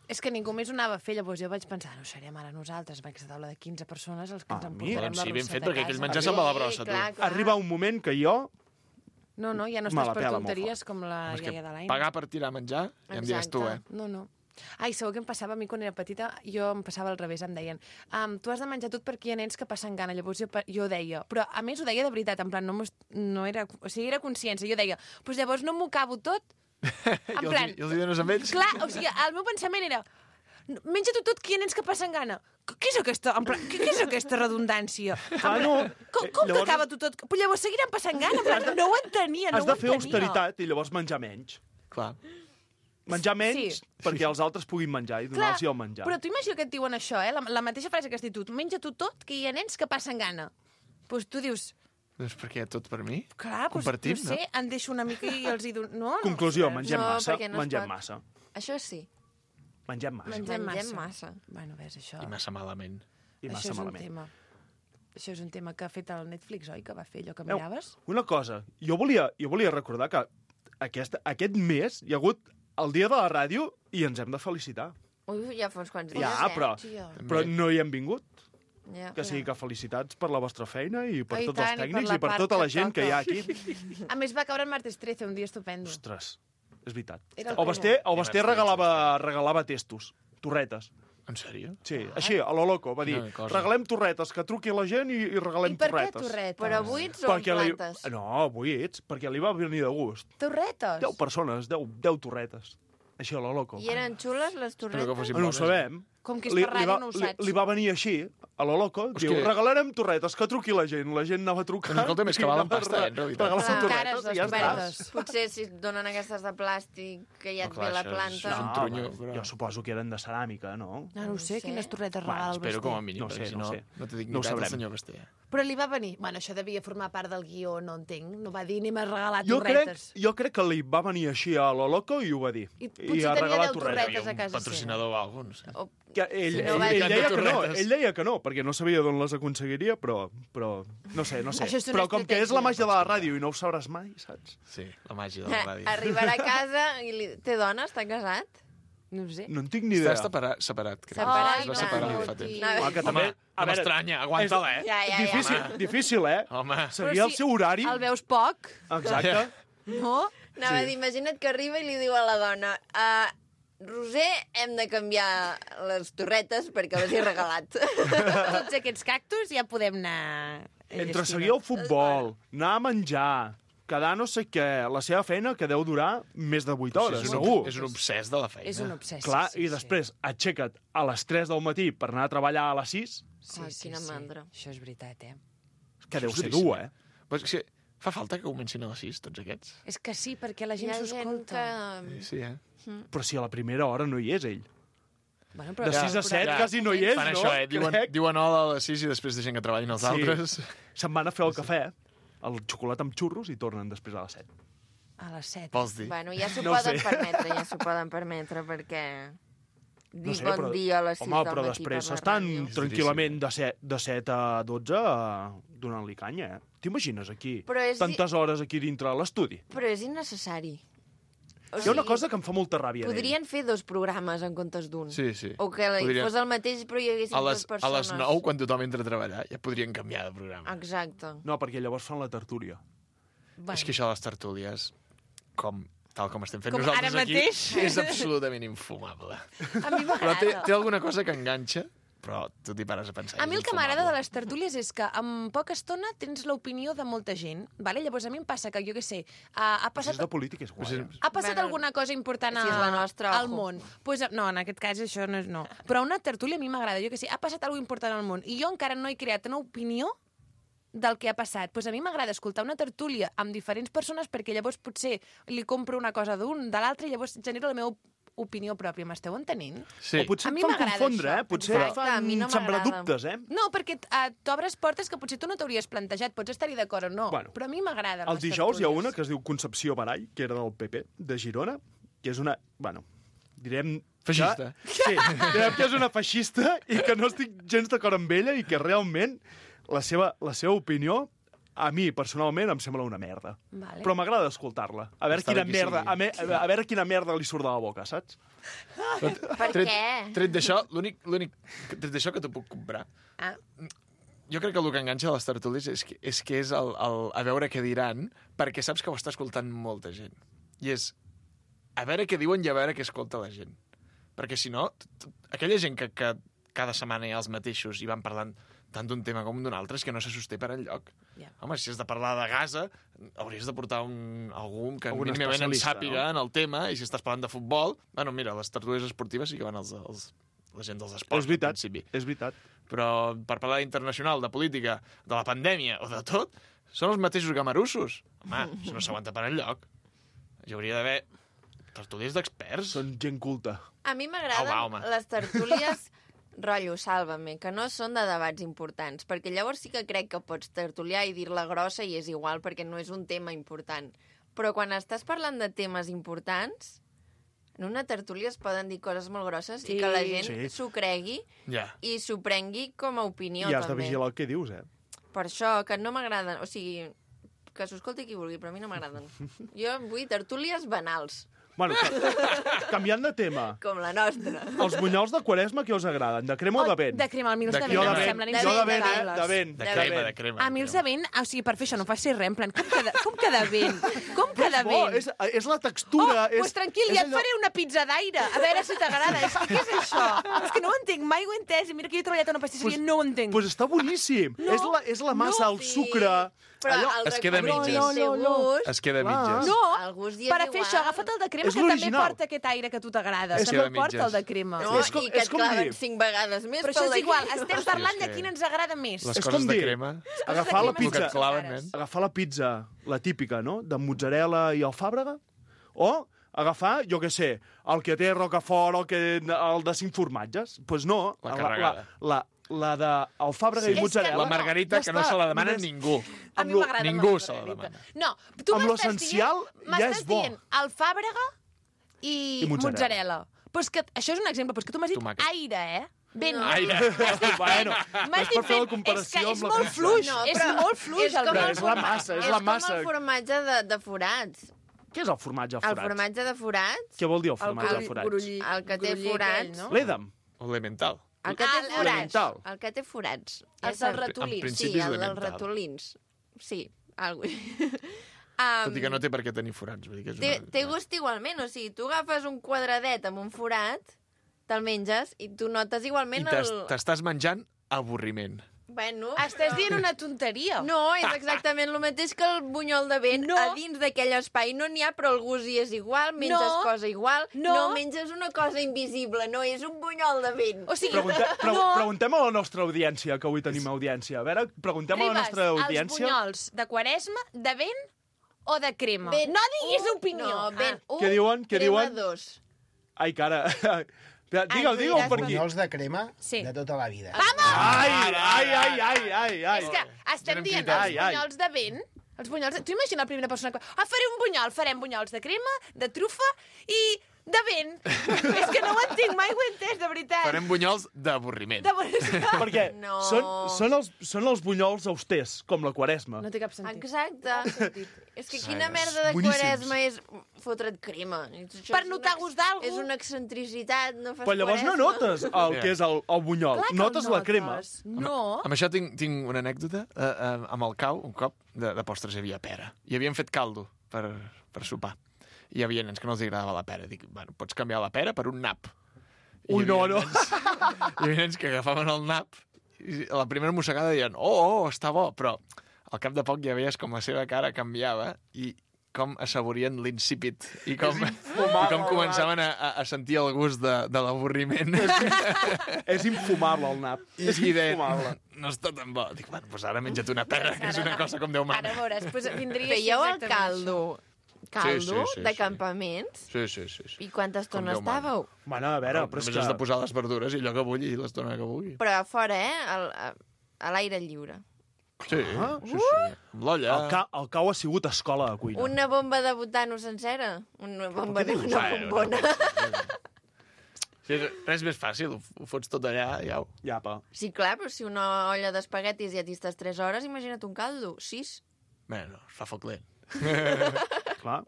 És que ningú més ho anava a fer, llavors jo vaig pensar, no serem ara nosaltres, amb aquesta taula de quinze persones, els que ens Ah, emportarem Doncs la sí, ben rosseta fet, a perquè casa. aquell menjar se'n va a la brossa, tu. clar, clar. Arriba un moment que jo... No, no, ja no Me estàs la per pela molt tonteries com la És que iaia de l'any. pagar per tirar menjar, ja em diràs tu, eh? No, no. Ai, sabeu què em passava a mi quan era petita? Jo em passava al revés, em deien um, tu has de menjar tot perquè hi ha nens que passen gana. Llavors jo, jo deia, però a més ho deia de veritat, en plan, no, no era, o sigui, era consciència. Jo deia, doncs pues llavors no m'ho acabo tot. En I els, plan, i els hi dones amb ells? clar, o sigui, el meu pensament era menja tu tot, que hi ha nens que passen gana. Què és aquesta, en plan, què, què és aquesta redundància? En Ah, plan, no. Com, Eh, com llavors- t'acaba tu tot? Però llavors seguiran passant gana, en plan, no ho entenia, no Has ho de fer entenia. austeritat i llavors menjar menys. Clar. Menjar menys Sí. perquè els altres puguin menjar i donar-los el menjar. Però tu imagina que et diuen això, eh? La, la mateixa frase que has dit tu. Menja tu tot, que hi ha nens que passen gana. Doncs pues tu dius, Doncs per què? Tot per mi? clar, doncs, Compartim, no sé, en deixo una mica i els hi dono... No, no, Conclusió, no, mengem No, massa, perquè no es mengem pot. massa. Això sí. Mengem massa. Mengem massa. Mengem massa. Bueno, ves, això... I massa malament. I això massa és un malament. tema. Això és un tema que ha fet el Netflix, oi? Que va fer allò que Veu, miraves? una cosa, jo volia, jo volia recordar que aquest, aquest mes hi ha hagut el dia de la ràdio i ens hem de felicitar. Ui, ja fa uns quants dies, Ja, eh? però, Tia. però no hi hem vingut. Ja. Que sigui que felicitats per la vostra feina i per Ai, tots tant, els i per tècnics la i per part tota la que gent que hi ha toca. aquí. A més, va caure en martes trece, un dia estupendo. Ostres, és veritat. Era el El primer. Basté, el Basté regalava, regalava testos, torretes. En sèrio? Sí, així, a lo loco, va dir, Quina cosa. regalem torretes, que truqui la gent i, i regalem I per què torretes. torretes? Però buits o Perquè amb li... plantes? No, buits, perquè li va venir de gust. Torretes? Deu persones, deu, deu torretes. Així, a lo loco. I eren xules, les torretes? que fossin No ho bones. sabem. Com que és Li, per li, ràdio, va, no ho li, saps. li va venir així, a lo loco, És diu, que- regalarem torretes, que truqui la gent. La gent anava a trucar. Doncs escolta, més que i valen anava a pasta, eh, en re- realitat. regalar Clar. torretes Cares i les ja està. torretes. Potser si et donen aquestes de plàstic, que ja et clar, ve la això és- planta... això és un No, trunyo, home, però- jo suposo que eren de ceràmica, no? No, no ho sé, No sé. quines torretes Bueno, regala el Espero com a Basté. mínim, No perquè sé, si no no, sé. no té No ho dignitat el sabrem. senyor Basté. Però li va venir... Bueno, això devia formar part del guió, no entenc. No va dir, anem a regalar Jo crec, torretes. jo crec que li va venir així a lo loco i ho va dir. I potser a tenia regalar deu torretes. torretes a casa Patrocinador o alguna cosa, no sé. O... Que ell, Si no ell, va ell, dir- deia que no, torretes. ell deia que no, perquè no sabia d'on les aconseguiria, però, però no sé, no sé. Això és una Però com que és la estratègia. màgia de la ràdio i no ho sabràs mai, saps? Sí, la màgia de la ràdio. Arribarà a casa i li... té dona? Està casat? No ho sé. No en tinc ni idea. Està separat, separat crec. Separat, Es va no. separar Ai, fa temps. tio. Ah, que Home, també, no m'estranya, aguanta-la, eh? Ja, ja, ja. difícil, home. difícil, eh? Home, Sabia el seu horari. El veus poc, Exacte. no? Anava a dir, imagina't que arriba i li diu a la dona uh, Roser, hem de canviar les torretes perquè les he regalat. Tots aquests cactus ja podem anar... Entre seguir el futbol, anar a menjar, quedar no sé què, la seva feina que deu durar més de vuit hores, és, un, segur. és un obsès de la feina. És un obsessi. Clar, sí, i després aixeca't a les tres del matí per anar a treballar a les sis, Sí, Ai, sí, quina sí. mandra. Això és veritat, eh? que deu Això és ser duríssim, dur, eh? Però és que fa falta que comencin a les sis, tots aquests. És que sí, perquè la Hi gent ha s'ho gent escolta. que... Sí, eh? Però si a la primera hora no hi és, ell. Bueno, De sis a set quasi no hi és, Fan no? això, eh? Diuen, Crec. diuen hola a les sis i després deixen que treballin els Sí. altres. Se'n van a fer el cafè, el xocolat amb xurros i tornen després a les set. A les set. Vols dir? Bueno, ja s'ho No ho poden sé. permetre, ja s'ho poden permetre, perquè... Dir No sé, bon però- dia a les sis Home, del però matí després per la estan ràdio. És tranquil·lament de set, de set a dotze eh, donant-li canya, eh? T'imagines aquí? Però és- Tantes hores aquí dintre de l'estudi. Però és innecessari. O Hi ha una cosa que em fa molta ràbia d'ell. Podrien fer dos programes en comptes d'un. Sí, sí. O que la- Podrien- fos el mateix, però hi haguessin A les, dues a les persones. nou, quan tothom entra a treballar, ja podrien canviar de programa. Exacte. No, perquè llavors fan la tertúlia. Bueno. És que això de les tertúlies, com, tal com estem fent Com nosaltres ara aquí, mateix. és absolutament infumable. A mi Però té, m'agrada. té alguna cosa que enganxa, però tu t'hi pares a pensar. A mi el que m'agrada de les tertúlies és que en poca estona tens l'opinió de molta gent, vale? Llavors a mi em passa que, jo què sé, ha, ha Si passat... és de política és guai. Ha passat Bueno, alguna cosa important a, si és la nostra, al ojo. món. Pues, no, en aquest cas això no és no. Però una tertúlia a mi m'agrada, jo què sé, ha passat alguna important al món i jo encara no he creat una opinió del que ha passat. Pues a mi m'agrada escoltar una tertúlia amb diferents persones perquè llavors potser li compro una cosa d'un, de l'altre, i llavors genero la meva opinió pròpia. M'esteu entenent? Sí. O potser A et mi fan m'agrada confondre, això. eh? Potser Exacte, et fan a mi no sembrar m'agrada. dubtes, eh? No, perquè uh, t'obres portes que potser tu no t'hauries plantejat. Pots estar-hi d'acord o no, Bueno, però a mi m'agrada. El dijous hi ha una que es diu Concepció Marall, que era del P P, de Girona, que és una... Bueno, direm... Feixista. Que, sí, direm que és una feixista i que no estic gens d'acord amb ella i que realment la seva, la seva opinió a mi, personalment, em sembla una merda. Vale. Però m'agrada escoltar-la. A veure Està quina bé que merda, sigui. a, me, a veure quina merda li surt de la boca, saps? Per Tret, què? tret d'això, l'únic l'únic tret d'això que t'ho puc comprar. Ah. Jo crec que el que enganxa a les tertúlies és que és, que és el, el, a veure què diran, perquè saps que ho està escoltant molta gent. I és a veure què diuen i a veure què escolta la gent. Perquè si no, t- t- aquella gent que, que cada setmana hi ha els mateixos i van parlant tant d'un tema com d'un altre, és que no se sosté per enlloc. Ja. Home, si has de parlar de Gaza, hauries de portar un, algú que Algun mínimament en especialista, sàpiga no? en el tema, i si estàs parlant de futbol... Bueno, mira, les tertúlies esportives sí que van els, els, la gent dels esports, És veritat, al principi. és veritat. Però per parlar d'internacional, de política, de la pandèmia o de tot, són els mateixos gamarussos. Home, això no s'aguanta per enlloc. Hi hauria d'haver tertúlies d'experts. Són gent culta. A mi m'agraden Au, home. les tertúlies rotllo, sàlvame, que no són de debats importants, perquè llavors sí que crec que pots tertuliar i dir-la grossa i és igual, perquè no és un tema important. Però quan estàs parlant de temes importants, en una tertúlia es poden dir coses molt grosses Sí. i que la gent Sí. s'ho cregui Ja. i s'ho prengui com a opinió, I has de també. vigilar el que dius, eh? Per això, que no m'agraden, o sigui, que s'ho escolti qui vulgui, però a mi no m'agraden. Jo vull tertúlies banals, Bueno, ca- canviant de tema. com la nostra. Els bunyols de Quaresma, què us agraden? De crema o de vent? De crema, a mi els De de, Jo vent de em vent, semblen jo de vent, eh? insuportables. De vent. De De crema, vent. de crema. A mi els de vent, o sigui, per fer això no facis res, en plan, com que de, com que de vent? Com que de Bo, vent? és, és la Oh, textura. és, pues tranquil, és ja et allò- faré una pizza d'aire, a veure si t'agrada. És que què és això? És que no ho entenc, mai ho he entès. I mira que jo he treballat a una pastisseria, Pues- no ho entenc. Pues està boníssim. No, és, la, és la massa, no, el sí. sucre... Però allò... el es queda a recordo mitges. té gust. Es queda a Clar. mitges. No, El gust hi és per a fer igual. això, agafa't el de crema, És que també l'original. porta aquest aire que a tu t'agrada. És També que- el porta el de crema. No, És com- i que és et com claven dir- cinc vegades més. Però això pel és de igual, crema. estem Hòstia, parlant és de que- quin ens agrada més. Les És coses com de dir- crema... Agafar la crema El que pizza. et claven, nen. Agafar la pizza, la típica, no?, de mozzarella i alfàbrega, o agafar, jo què sé, el que té Rocafort o el, que, el de cinc formatges. Doncs pues no, La la, carregada. la, la de alfàbrega Sí. i mozzarella. La margarita, ja que no està, se la demana només- ningú. A mi amb lo- m'agrada ningú la se la margarita. demana. No, tu Amb m'estàs l'essencial dient- ja és m'estàs bo. dient alfàbrega i, I mozzarella. mozzarella. Però és que això és un exemple, però és que tu m'has dit Tomàquet. aire, eh? Vent. No. Aire. Bueno, M'has és dit per fer la vent. comparació és que és amb la molt pizza. fluix, No, és però molt fluix és el com Però vent. és la massa, és és la massa. com el formatge de, de forats. Què és el formatge El forat? formatge de forats, Què vol dir el El formatge grull- forat? grull- el que té gruller forats. aquell, no? L'Edam. Elemental. el que té Ah, forats, elemental. el que té forats. Els Ja dels saps. ratolins. En principi Sí, és el dels elemental. ratolins. Sí, algo Tot i que no té per què tenir forats. Vull dir que és Té, una... té gust igualment, o sigui, tu agafes un quadradet amb un forat, te'l menges i tu notes I igualment t'es- el... t'estàs menjant avorriment. Bueno, Estàs però- dient una tonteria. No, és exactament el mateix que el bunyol de vent. No. A dins d'aquell espai no n'hi ha, però el gust hi és igual, menges No. cosa igual. No. no menges una cosa invisible, no és un bunyol de vent. O sigui, Pregunte, pre no. Preguntem a la nostra audiència, que avui tenim audiència. A veure, preguntem a la Ribes, nostra els audiència... bunyols de Quaresma, de vent o de crema? Vent no diguis un, opinió. No, vent Ah. un, Què diuen? Què crema diuen? dos. Ai, cara... Digue'l, tu digue'l diràs per aquí. Bunyols de crema Sí. de tota la vida. Ai, ai, ai, ai, ai, ai. És que estem Anem dient cridant. els Ai, ai. bunyols de vent. Els bunyols de... Tu imagina la primera persona que... Ah, faré un bunyol. Farem bunyols de crema, de trufa i de vent. És que no ho entenc, mai ho he entès, de veritat. Farem bunyols d'avorriment. De... Perquè No. són, són, els, són els bunyols austers, com la Quaresma. No té cap sentit. Exacte. És que quina Ai, merda de boníssims. Quaresma és fotre't crema. Això Per és notar una- gust d'algú. És una excentricitat, no fas Però llavors no Quaresma. notes el Ja. que és el, el bunyol, Clar que el notes la crema. notes. No. Amb això tinc, tinc una anècdota. Uh, uh, amb el cau, un cop, de, de postres hi havia pera. I havien fet caldo per, per sopar. I hi havia nens que no els agradava la pera. Dic, bueno, pots canviar la pera per un nap. Ui, no, no. Hi havia nens que agafaven el nap i a la primera mossegada deien oh, oh, està bo, però al cap de poc ja veies com la seva cara canviava i com assaborien l'insípid i com, i com començaven a, a sentir el gust de, de l'avorriment. És infumable, el nap. I, i deien, no està tan bo. Dic, bueno, doncs ara menja't una perra, que és una cosa com Déu mana. Ara veuràs, pues, vindria Fèieu el exactament caldo, caldo Sí, sí, sí, de sí. campaments? Sí, sí, sí. sí. I quanta estona Com Déu mana. estàveu? Bueno, a veure, Però però és només que... has de posar les verdures i allò que vulgui i l'estona que vulgui. Però a fora, eh? Al, a, a l'aire lliure. Sí, sí, sí. Amb l'olla. El, ca el cau ha sigut escola de cuina. Una bomba de butano sencera? Una bomba de una bombona? Sí, res més fàcil, ho, ho fots tot allà i au. Ja, pa. Sí, clar, però si una olla d'espaguetis ja t'hi estàs tres hores, imagina't un caldo. Sis? Bé, no, es fa foc lent. Clar.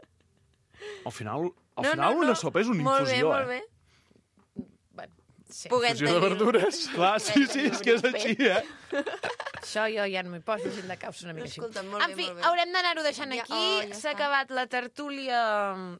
Al final, al No, final no, no. una sopa és una Molt bé, infusió, molt eh? bé. Sí. Puguem Infusió de tenir-ho. verdures. Clar, sí, sí, és que és així, eh? Això jo ja no m'hi poso, gent de caus una mica així. Escolta, molt En bé, fi, molt bé. haurem d'anar-ho deixant Ja- aquí. oh, ja S'ha està. acabat la tertúlia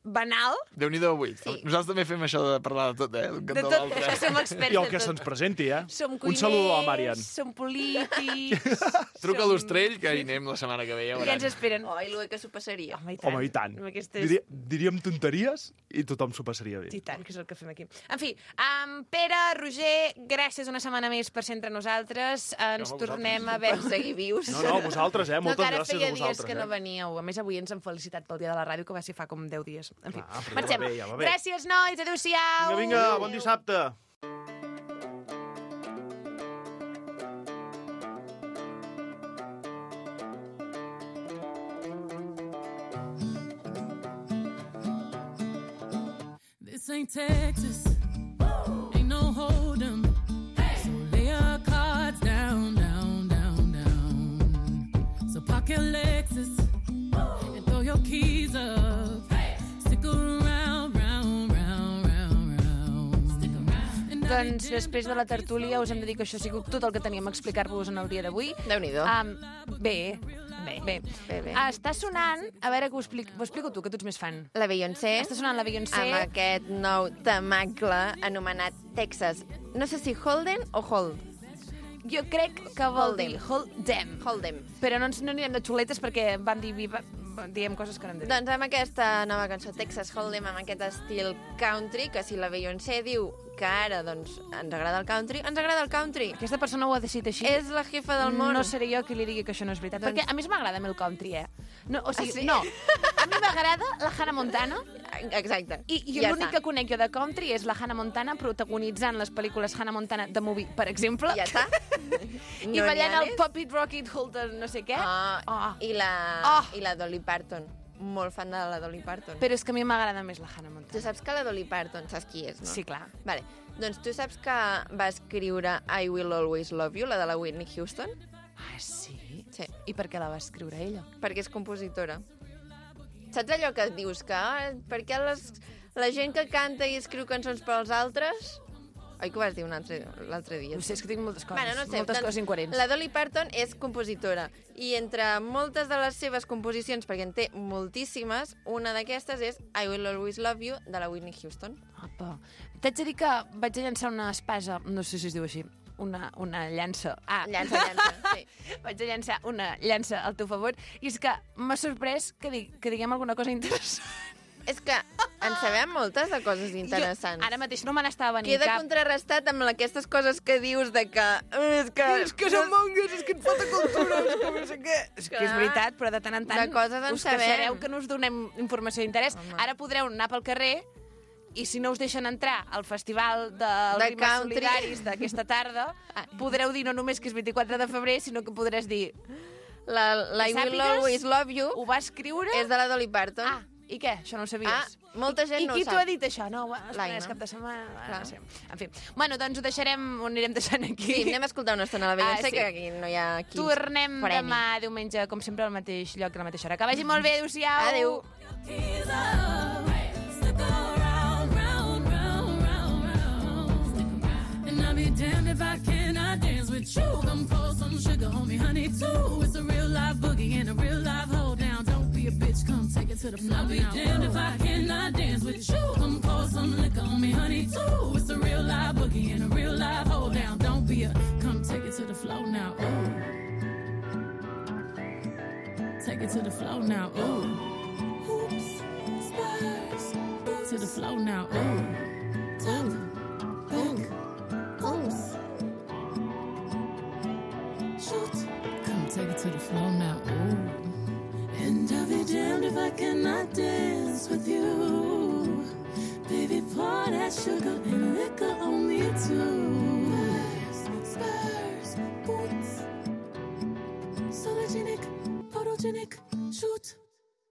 banal. Déu-n'hi-do avui. Sí. Nosaltres també fem això de parlar de tot, eh? D'un De cantó a tot, l'altre. això som experts I el de que tot. se'ns presenti, eh? Som Un cuiners, saludo a la Marian. som polítics... Truca a som- l'Ostrell, que hi anem la setmana que ve, ja I ens veuran. esperen. Oh, i l'U E que s'ho passaria. Home, i tant. Home, i tant. Amb Aquestes... Diria, diríem tonteries i tothom s'ho passaria bé. I tant, que és el que fem aquí. En fi, um, Pere, Roger, gràcies una setmana més per ser entre nosaltres. Ens Home, tornem a Per veure... seguir vius. No, no, vosaltres, eh? No, Moltes que ara gràcies feia a dies vosaltres, que no eh? veníeu. A més, avui ens hem felicitat pel dia de la ràdio, que va ser fa com deu dies. En fi, Ah, però ja va marxem. bé, ja va bé. Gràcies, nois. Adéu-siau. Vinga, vinga, bon dissabte. This ain't Texas. Ain't no hold'em. So lay your cards down, down, down, down. So park your Lexus and throw your keys up. Stick around, round, round, round, round. Stick around. And I Doncs després de la tertúlia us hem de dir que això ha sigut tot el que teníem a explicar-vos en el dia d'avui. Déu-n'hi-do. Um, bé, bé, bé. Bé, bé. Ah, està sonant, a veure que ho explico, ho explico tu, que tu ets més fan. La Beyoncé, Està sonant la Beyoncé. amb aquest nou temacle anomenat Texas. No sé si Holden o Hold. Jo crec que vol Hold dir them. hold them. Hold them. Però no, ens, no anirem de xuletes perquè van dir viva, diem coses que no hem de dir. Doncs amb aquesta nova cançó, Texas Hold'em, amb aquest estil country, que si la Beyoncé diu que ara doncs, ens agrada el country, ens agrada el country. Aquesta persona ho ha decidit així. És la jefa del món. No seré jo qui li digui que això no és veritat. Doncs- Perquè a més m'agrada a mi el country, eh? No, o sigui, Ah, sí? no. A mi m'agrada la Hannah Montana Exacte. i, i Ja l'únic està. que conec jo de country és la Hannah Montana protagonitzant les pel·lícules Hannah Montana de Movie, per exemple. Ja està. I No ballant n'hi ha el més? Pop It, Rock It, Hold It, no sé què. Ah, Oh. i, la, Oh. I la Dolly Parton. Molt fan de la Dolly Parton. Però és que a mi m'agrada més la Hannah Tu Montana. saps que la Dolly Parton, saps qui és, no? Sí, clar. Vale. Doncs tu saps que va escriure I Will Always Love You, la de la Whitney Houston? Ah, sí? Sí. I per què la va escriure ella? Perquè és compositora. Saps allò que dius que ah, per què les, la gent que canta i escriu cançons per als altres... Oi que ho vas dir un altre, l'altre dia? No sé, és que tinc moltes coses, Bueno, no sé, moltes doncs, coses incoherents. La Dolly Parton és compositora i entre moltes de les seves composicions, perquè en té moltíssimes, una d'aquestes és I Will Always Love You, de la Whitney Houston. Apa. T'haig de dir que vaig a llançar una espasa, no sé si es diu així, una, una llança. Ah, Llança, llança, sí. vaig a llançar una llança al teu favor, i és que m'ha sorprès que, di que diguem alguna cosa interessant. És que en sabem moltes de coses interessants. Jo, ara mateix no me n'estava venint Queda cap. contrarrestat amb aquestes coses que dius de que... És que, És que som mongues, és que et falta cultura, és que no sé què. És que és Clar. veritat, però de tant en tant De coses en us sabem. queixareu que no us donem informació d'interès. Home. Ara podreu anar pel carrer i si no us deixen entrar al festival dels De rimes country. solidaris d'aquesta tarda, podreu dir no només que és vint-i-quatre de febrer, sinó que podràs dir... La, la I Will Sàpigues, Always Love You ho va escriure... és de la Dolly Parton. Ah, i què? Això no ho sabies? Ah, molta gent I, no I ho qui t'ho sap. ha dit, això? No, bueno, L'Aina. esperes cap de setmana... Clar. Bueno, no sé. En fi. Bueno, doncs ho deixarem, ho anirem deixant aquí. Sí, anem a escoltar una estona a la Beyoncé, Ah, sí. que aquí no hi ha qui ens Tornem freni. demà, diumenge, com sempre, al mateix lloc, a la mateixa hora. Que vagi molt bé, adéu-siau. Adéu. keys up. Stick around, round, round, round, round. Stick around. And I'll be damned if I cannot dance with you. Come pour some sugar on me, honey, too. It's a real life boogie and a real life hold down. Don't be be a bitch, come take it to the floor. I'll be damned if I cannot dance with you. Come pour some liquor on me, honey, too. It's a real live boogie and a real live hold down. Don't be a, come take it to the floor now, ooh. Take it to the floor now, ooh. Hoops, spurs, boots to the floor now, ooh. Top, back, oops. Shoot, come take it to the floor now, ooh. And I'll be damned if I cannot dance with you. Baby, pour that sugar and liquor on me too. Spurs, spurs, boots. Sologenic, photogenic, shoot.